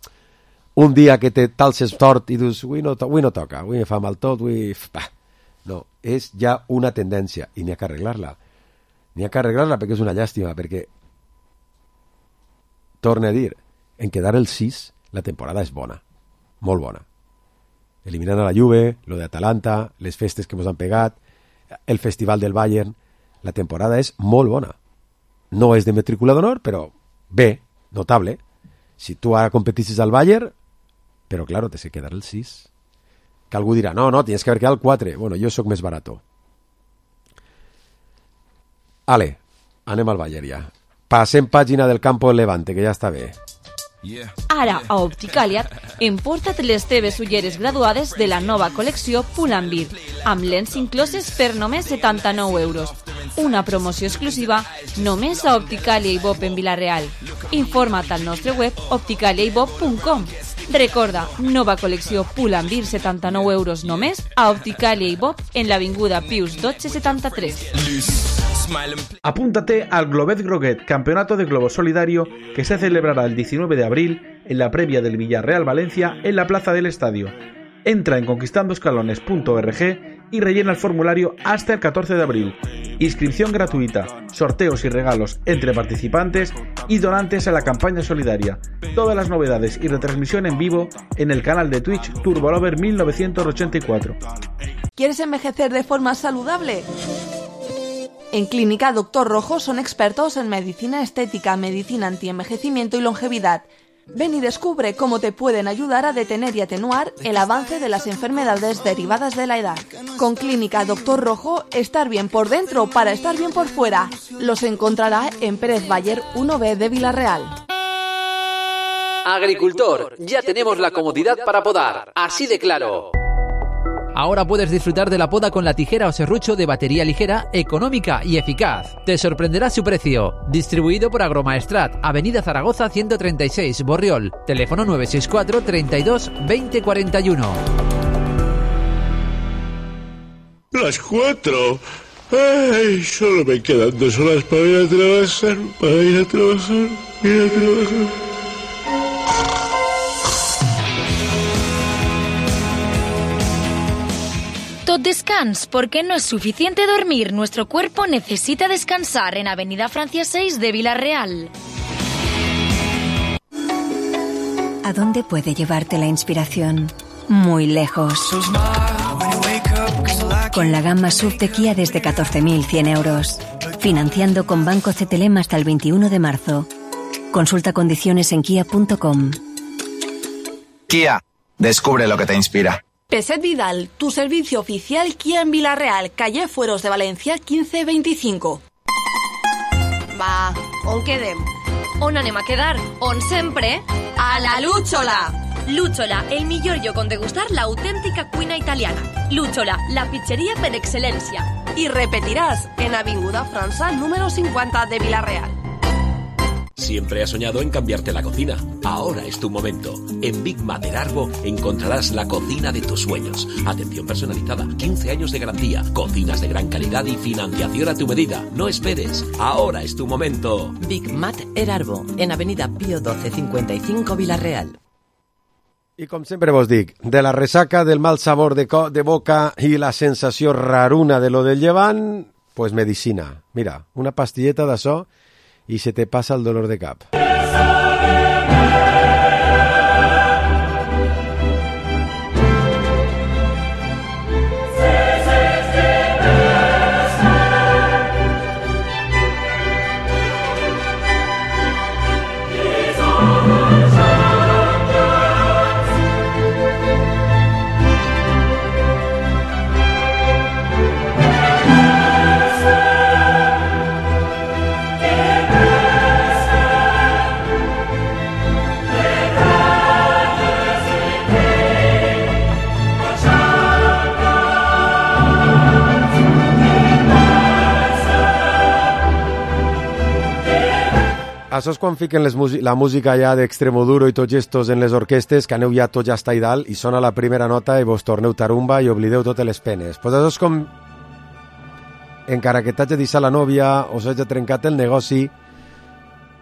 un dia que te talses tort i dius, avui no toca, avui me fa mal tot, no, és ja una tendència i n'hi ha que arreglar-la. N'hi ha que arreglar-la perquè és una llàstima, perquè torna a dir, en quedar el 6 la temporada és bona, molt bona. Eliminant a la Juve, lo de Atalanta, les festes que ens han pegat, el festival del Bayern, la temporada és molt bona. No és de matrícula d'honor, però bé, notable. Si tu ara competissis al Bayern, però claro, te se quedar el 6. Que algú dirà, no, tienes que haber quedado el 4. Bueno, jo sóc més barato. Ale, anem al Bayern ja. Passem pàgina del campo del Levante, que ja està bé. Ara, a Opticàlia, emporta't les teves ulleres graduades de la nova col·lecció Pull&Bear, amb lents incloses per només 79 euros. una promoció exclusiva només a Opticalia i Bob en Vila-real. Informa't al nostre web opticaliaibob.com. Recorda, nova col·lecció Pull&Bear, 79 € només a Opticalia i Bob en l'avinguda Pius 1273. Apúntate al Globet Groguet, campeonato de globo solidario que se celebrará el 19 de abril en la previa del Villarreal Valencia en la plaza del estadio. Entra en conquistandoscalones.org y rellena el formulario hasta el 14 de abril. Inscripción gratuita, sorteos y regalos entre participantes y donantes a la campaña solidaria. Todas las novedades y retransmisión en vivo en el canal de Twitch Turbolover 1984. ¿Quieres envejecer de forma saludable? En Clínica Doctor Rojo son expertos en medicina estética, medicina antienvejecimiento y longevidad. Ven y descubre cómo te pueden ayudar a detener y atenuar el avance de las enfermedades derivadas de la edad. Con Clínica Doctor Rojo, estar bien por dentro para estar bien por fuera. Los encontrará en Pérez Bayer 1B de Vila-real. Agricultor, ya tenemos la comodidad para podar, así de claro. Ahora puedes disfrutar de la poda con la tijera o serrucho de batería ligera, económica y eficaz. Te sorprenderá su precio. Distribuido por Agromaestrat, Avenida Zaragoza 136, Borriol. Teléfono 964 32 20 41. Las 4. Ay, solo me quedan 2 horas para ir a trabajar, Tot descans, porque no es suficiente dormir. Nuestro cuerpo necesita descansar en Avenida Francia 6 de Vila-real. ¿A dónde puede llevarte la inspiración? Muy lejos. Con la gama SUV de Kia desde 14.100 euros. Financiando con Banco CTLM hasta el 21 de marzo. Consulta condiciones en kia.com. Kia, descubre lo que te inspira. Peset Vidal, tu servicio oficial Kia en Vila-real, calle Fueros de Valencia 1525. Va, on quedem? On anem a quedar? On sempre? A la Lúchola! Lúchola, el millor lloc on degustar l'autèntica cuina italiana. Lúchola, la pizzeria per excel·lència. Y repetirás en Avinguda França número 50 de Vila-real. Siempre has soñado en cambiarte la cocina. Ahora es tu momento. En Big Mater Arbo encontrarás la cocina de tus sueños. Atención personalizada, 15 años de garantía, cocinas de gran calidad y financiación a tu medida. No esperes. Ahora es tu momento. Big Mater Arbo, en Avenida Pío 12 55 Vila-real. I com sempre vos dic, de la resaca, del mal sabor de boca i la sensació raruna de lo del llevant, pues medicina. Mira, una pastilleta d'açò y se te pasa el dolor de cap. Això és quan fiquen la música ja d'Extremoduro i tots estos en les orquestes, que aneu ja tots ja està i dalt, i sona la primera nota i vos torneu tarumba i oblideu totes les penes. Pues això és com, encara que t'hagi deixat la nòvia o s'hagi trencat el negoci,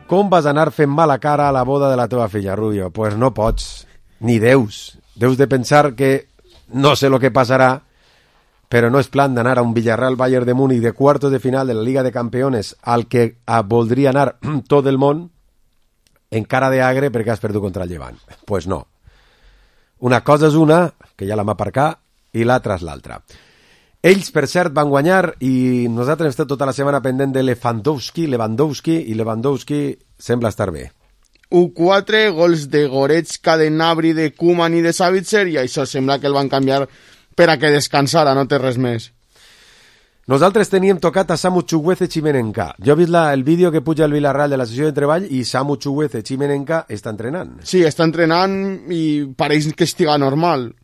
com vas anar fent mala cara a la boda de la teva filla, Rubio? Pues no pots, ni deus. Deus de pensar que no sé lo que passarà, però no és plan d'anar a un Villarreal Bayern de Múnich de cuartos de final de la Liga de Campeones al que voldria anar tot el món en cara d'agre perquè has perdut contra el Llevant. Pues no. Una cosa és una, que ja la m'ha aparcat, i l'altra és l'altra. Ells, per cert, van guanyar i nosaltres hem estat tota la setmana pendent de Lewandowski sembla estar bé. U4, gols de Goretzka, de Gnabry, de Koeman i de Savitzer, i això sembla que el van canviar per a que descansara, no té res més. Nosaltres teníem tocat a Samu Chukwueze Chimenenka. Jo he vist el vídeo que puja el Villarreal de la sessió de treball i Samu Chukwueze Chimenenka està entrenant. Sí, està entrenant i pareix que estiga normal.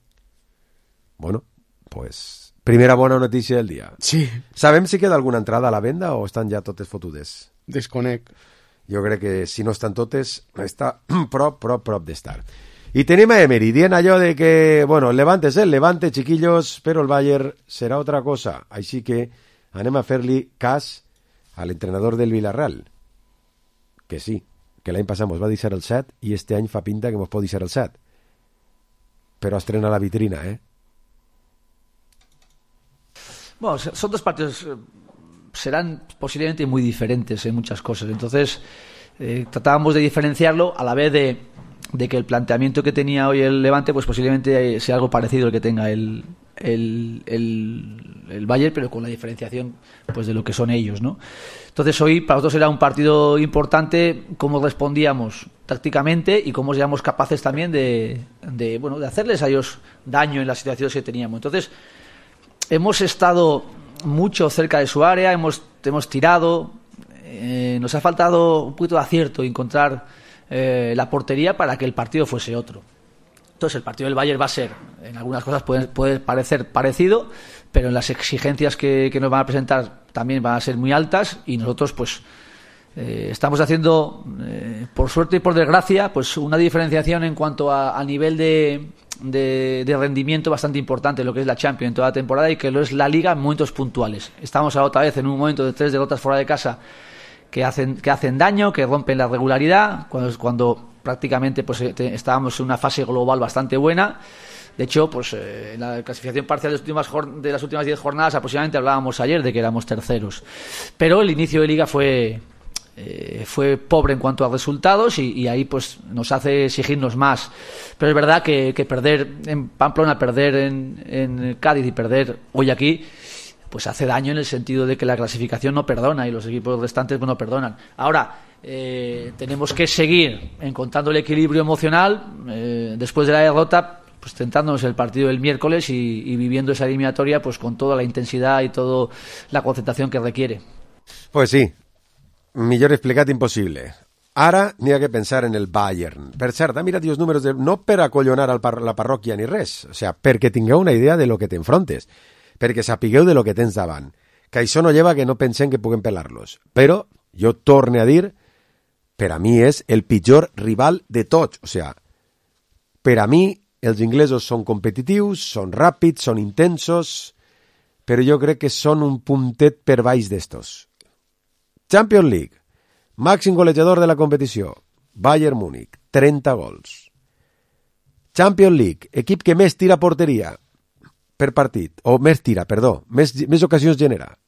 Bueno, pues Primera bona notícia del dia. Sí. Sabem si queda alguna entrada a la venda o estan ja totes fotudes? Desconec. Jo crec que si no estan totes, està prop d'estar. I tenim a Emery dient allò de que, bueno, el Levante és el Levante, chiquillos, però el Bayern serà otra cosa. Així que anem a fer-li cas a l'entrenador del Villarreal. Que sí, que l'any passat mos va deixar el 7 i este any fa pinta que mos pot deixar el 7. Però estrena la vitrina, Bueno, son dos partidos, serán posiblemente muy diferentes en muchas cosas. Entonces, tratábamos de diferenciarlo a la vez de que el planteamiento que tenía hoy el Levante, pues posiblemente sea algo parecido al que tenga el Bayern, pero con la diferenciación pues de lo que son ellos, ¿no? Entonces hoy para nosotros era un partido importante, cómo respondíamos tácticamente y cómo éramos capaces también de hacerles a ellos daño en las situaciones que teníamos. Entonces hemos estado mucho cerca de su área, hemos tirado, nos ha faltado un poquito de acierto y encontrar la portería para que el partido fuese otro. Entonces el partido del Bayern va a ser, en algunas cosas puede parecer parecido, pero en las exigencias que nos van a presentar también van a ser muy altas y nosotros pues estamos haciendo, por suerte y por desgracia, pues una diferenciación en cuanto a nivel de rendimiento bastante importante, lo que es la Champions en toda la temporada y que lo es la Liga en momentos puntuales. Estamos ahora otra vez en un momento de 3 derrotas fuera de casa que hacen daño, que rompen la regularidad, cuando prácticamente pues estábamos en una fase global bastante buena. De hecho, pues en la clasificación parcial de las últimas 10 jornadas aproximadamente hablábamos ayer de que éramos terceros. Pero el inicio de Liga fue pobre en cuanto a resultados y ahí pues nos hace exigirnos más. Pero es verdad que perder en Pamplona, perder en Cádiz y perder hoy aquí pues hace daño en el sentido de que la clasificación no perdona y los equipos restantes no perdonan. Ahora tenemos que seguir encontrando el equilibrio emocional después de la derrota, pues centrándonos en el partido del miércoles y viviendo esa eliminatoria pues con toda la intensidad y toda la concentración que requiere. Pues sí, millor explicat impossible. Ara n'hi ha que pensar en el Bayern. Per cert, ha mirat els números no per acollonar la parròquia ni res, o sea, perquè tingueu una idea de lo que t'enfrontes, perquè sapigueu de lo que tens davant, que això no lleva que no pensem que puguem pelar-los. Però jo torne a dir, per a mi és el pitjor rival de tots, o sea, per a mi els inglesos són competitius, són ràpids, són intensos, però jo crec que són un puntet per baix d'estos. Champions League, màxim golejador de la competició, Bayern Múnich, 30 gols. Champions League, equip que més tira porteria per partit, o més ocasions genera,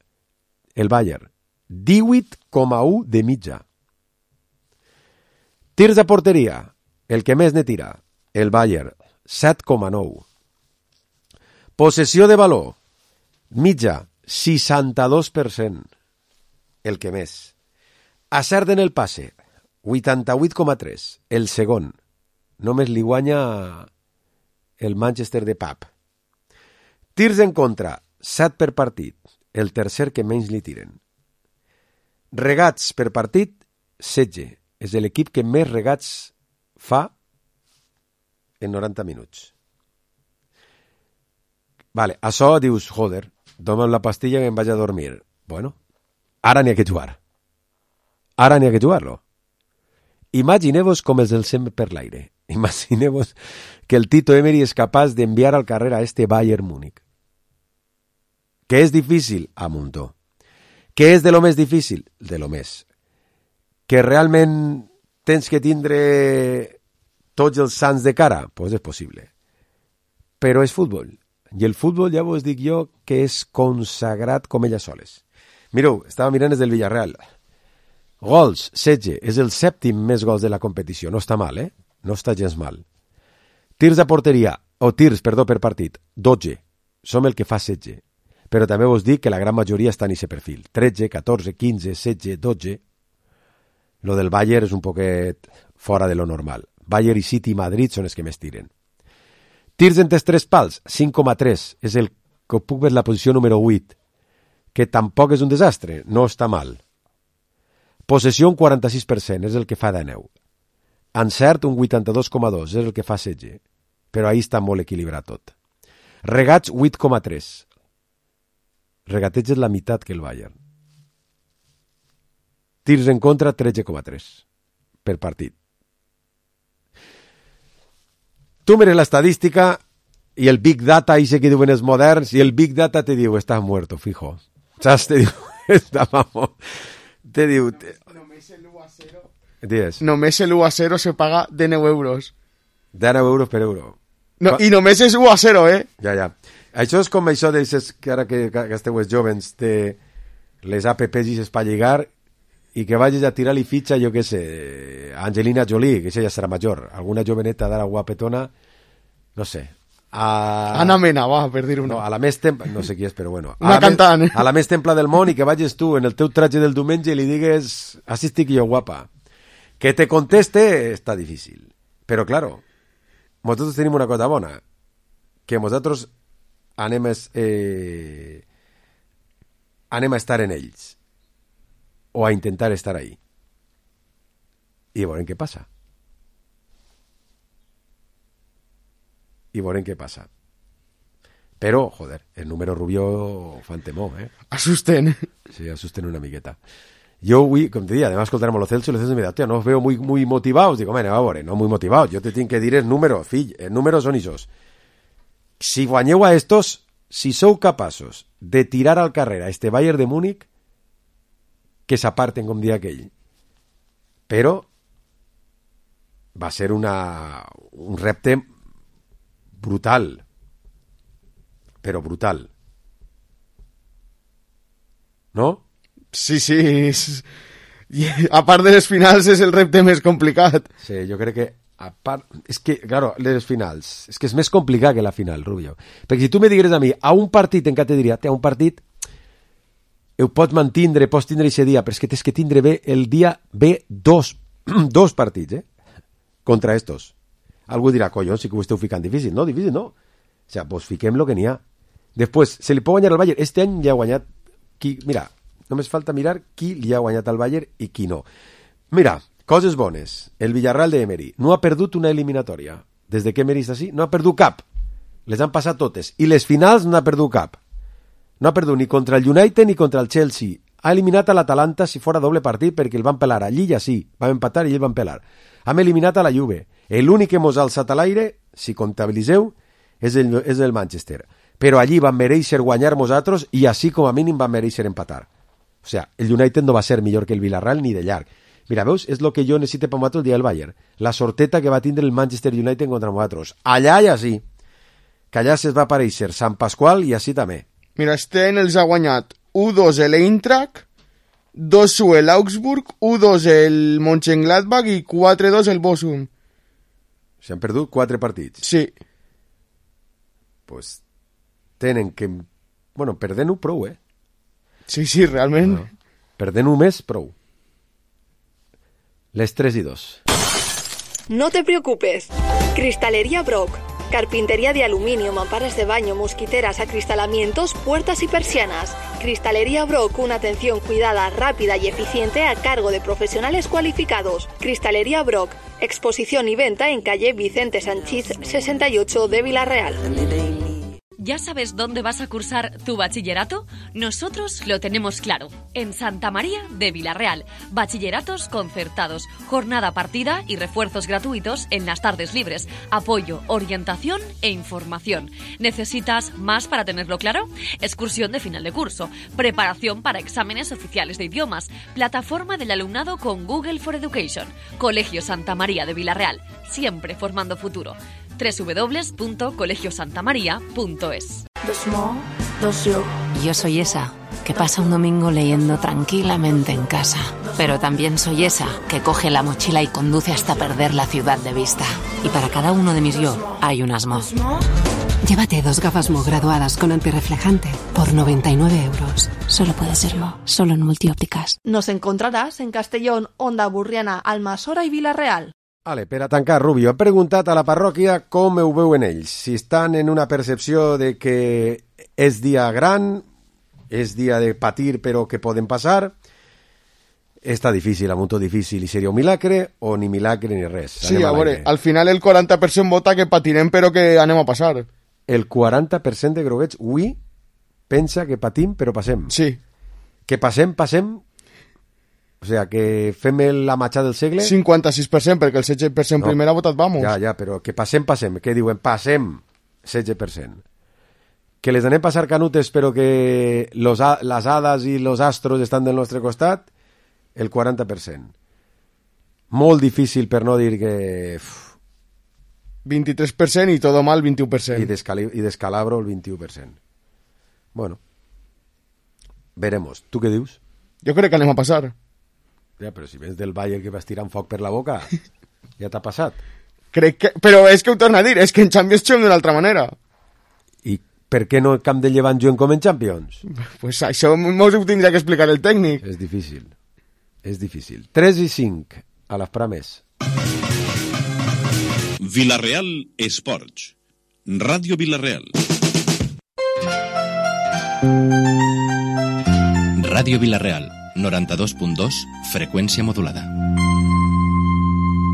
el Bayern, 18,1 de mitja. Tirs a porteria, el que més ne tira, el Bayern, 7,9. Possessió de valor, mitja, 62%. El que més. Acert en el passe, 88,3, el segon. Només li guanya el Manchester de Pep. Tirs en contra, 7 per partit, el tercer que menys li tiren. Regats per partit, 16. És l'equip que més regats fa en 90 minuts. Vale, això dius, joder, toma'm la pastilla que em vaig a dormir. Bueno, ara n'hi ha que jugar. Ara n'hi ha que jugar-lo. Imagineu-vos com els del sempre per l'aire. Imagineu-vos que el Tito Emery és capaç d'enviar al carrer a este Bayern Múnich. Que és difícil? A muntó. Que és de lo més difícil? De lo més. Que realment tens que tindre tots els sants de cara? Pues és possible. Però és futbol. I el futbol ja vos dic jo que és consagrat com elles soles. Mireu, estava mirant des del Villarreal. Gols, 16, és el 7è més gols de la competició. No està mal, No està gens mal. Tirs a porteria, per partit, 12. Som el que fa 16. Però també vos dic que la gran majoria està en aquest perfil. 13, 14, 15, 16, 12. Lo del Bayern és un poquet fora de lo normal. Bayern i City i Madrid són els que més tiren. Tirs entre 3 pals, 5,3. És el que puc ver la posició número 8. Que tampoc és un desastre, no està mal. Possessió un 46%, és el que fa 19. Encert un 82,2, és el que fa 16. Però ahí està molt equilibrat tot. Regats 8,3. regateges la meitat que el Bayern. Tirs en contra, 13,3 per partit. Tu mires l'estadística i el Big Data, i sé que diuen els moderns, i el Big Data te diu, estàs muerto, fijo. Saps? Te diu, te diu... Només l'1-0 se paga de 9 euros. De 9 euros per euro. No, i només és 1-0, Ja. Això és com això d'aixes que ara que esteu els jovens té les apps per lligar i que vagis a tirar-li fitxa, jo què sé, a Angelina Jolie, que ja serà major, alguna joveneta d'ara guapetona, no sé, Ana Mena, va, per dir una. No, a la més templa, no sé qui és, però bueno. Una cantant. A la més templa del món i que vagis tu en el teu tratge del diumenge i li digues, així estic jo guapa. Que te conteste està difícil. Però, claro, nosaltres tenim una cosa bona, que nosaltres anem a estar en ells o a intentar estar ahí i veurem què passa però, joder, el número Rubio fan temor, asusten una miqueta. Jo avui, com te dic, además escoltarem a lo Celso me diu, tío, no os veo muy motivados. Digo, mira, va a veure, no muy motivados, yo te tinc que dir el número, fill, el número són ixos. Si guanyeu a estos, si sou capaços de tirar al carrer a este Bayern de Múnich, que s'aparten, com dia aquell. Però va ser un repte brutal. Però brutal. No? Sí. A part de les finals és el repte més complicat. Sí, jo crec que a part... És que, claro, les finals... És que és més complicat que la final, Rubio. Perquè si tu me digueres a mi, a un partit en què te diria, a un partit ho pots mantindre, pots tindre aquest dia, però és que tens que tindre bé el dia bé dos partits, contra estos. Algú dirà, collons, sí que ho esteu ficant difícil. No, difícil no. O sea, pues fiquem lo que n'hi ha. Després, se li pot guanyar al Bayern. Este any ja ha guanyat qui... Mira, només falta mirar qui li ha guanyat al Bayern i qui no. Mira, coses bones. El Villarreal de Emery no ha perdut una eliminatòria. Des de que Emery està així, no ha perdut cap. Les han passat totes. I les finals no ha perdut cap. No ha perdut ni contra el United ni contra el Chelsea. Ha eliminat a l'Atalanta si fora doble partit perquè el van pelar. Allí ja sí, vam empatar i el van pelar. Hem eliminat a la Juve. L'únic que mos ha alçat a l'aire, si comptabilitzeu, és el Manchester. Però allí van mereixer guanyar nosaltres i així com a mínim van mereixer empatar. O sea, el United no va ser millor que el Villarreal ni de llarg. Mira, veus? És el que jo necessito per nosaltres el dia del Bayern. La sorteta que va tindre el Manchester United contra nosaltres. Allà ja sí. Que allà se'ls va aparèixer Sant Pasqual i així també. Mira, este any els ha guanyat 1-2 l'Eintracht, 2-1 l'Augsburg, 1-2 el Mönchengladbach i 4-2 el Bochum. S'han perdut 4 partits. Sí. Pues tenen que... Bueno, perdent-ho prou, Sí, realment. No. Perdent-ho més, prou. Les 3-2. No te preocupes. Cristalería Brock. Carpintería de aluminio, mamparas de baño, mosquiteras, acristalamientos, puertas y persianas. Cristalería Brock, una atención cuidada, rápida y eficiente a cargo de profesionales cualificados. Cristalería Brock, exposición y venta en calle Vicente Sanchís 68 de Villarreal. ¿Ya sabes dónde vas a cursar tu bachillerato? Nosotros lo tenemos claro. En Santa María de Villarreal. Bachilleratos concertados, jornada partida y refuerzos gratuitos en las tardes libres. Apoyo, orientación e información. ¿Necesitas más para tenerlo claro? Excursión de final de curso. Preparación para exámenes oficiales de idiomas. Plataforma del alumnado con Google for Education. Colegio Santa María de Villarreal. Siempre formando futuro. www.colegiosantamaria.es. Yo soy esa que pasa un domingo leyendo tranquilamente en casa, pero también soy esa que coge la mochila y conduce hasta perder la ciudad de vista. Y para cada uno de mis yo hay unas Mo. Llévate 2 gafas Mo graduadas con antirreflejante por 99 euros. Solo puede ser Mo, solo en Multiópticas. Nos encontrarás en Castellón, Onda Burriana, Almassora i Vila-real. Vale, per a tancar, Rubio, he preguntat a la parròquia com ho veuen ells, si estan en una percepció de que és dia gran, és dia de patir però que poden passar, està difícil, a molt difícil, i seria un milagre o ni milagre ni res. Sí, a veure, al final el 40% vota que patirem però que anem a passar. El 40% de groguets, ui, pensa que patim, però passem. Sí. Que passem. O sigui, que fem la matxa del segle... 56%, perquè el 16% primer ha votat vamos. Ja, però que passem. Què diuen? Passem 16%. Que les anem passar canutes, però que les hades i els astros estan del nostre costat, el 40%. Molt difícil, per no dir que... 23% i todo mal, 21%. I descalabro, el 21%. Bueno, veremos. Tu què dius? Jo crec que anem a passar. Ja, però si vens del Bayern que vas tirant foc per la boca, ja t'ha passat. Crec que... Però és que ho torno a dir, és que en Champions juguem d'una altra manera. I per què no el camp de Llevant juguen com en Champions? Pues això mos ho tindria que explicar el tècnic. És difícil. 3 i 5 a les prames. Villarreal Esports. Ràdio Villarreal. Ràdio Villarreal, 92.2, freqüència modulada.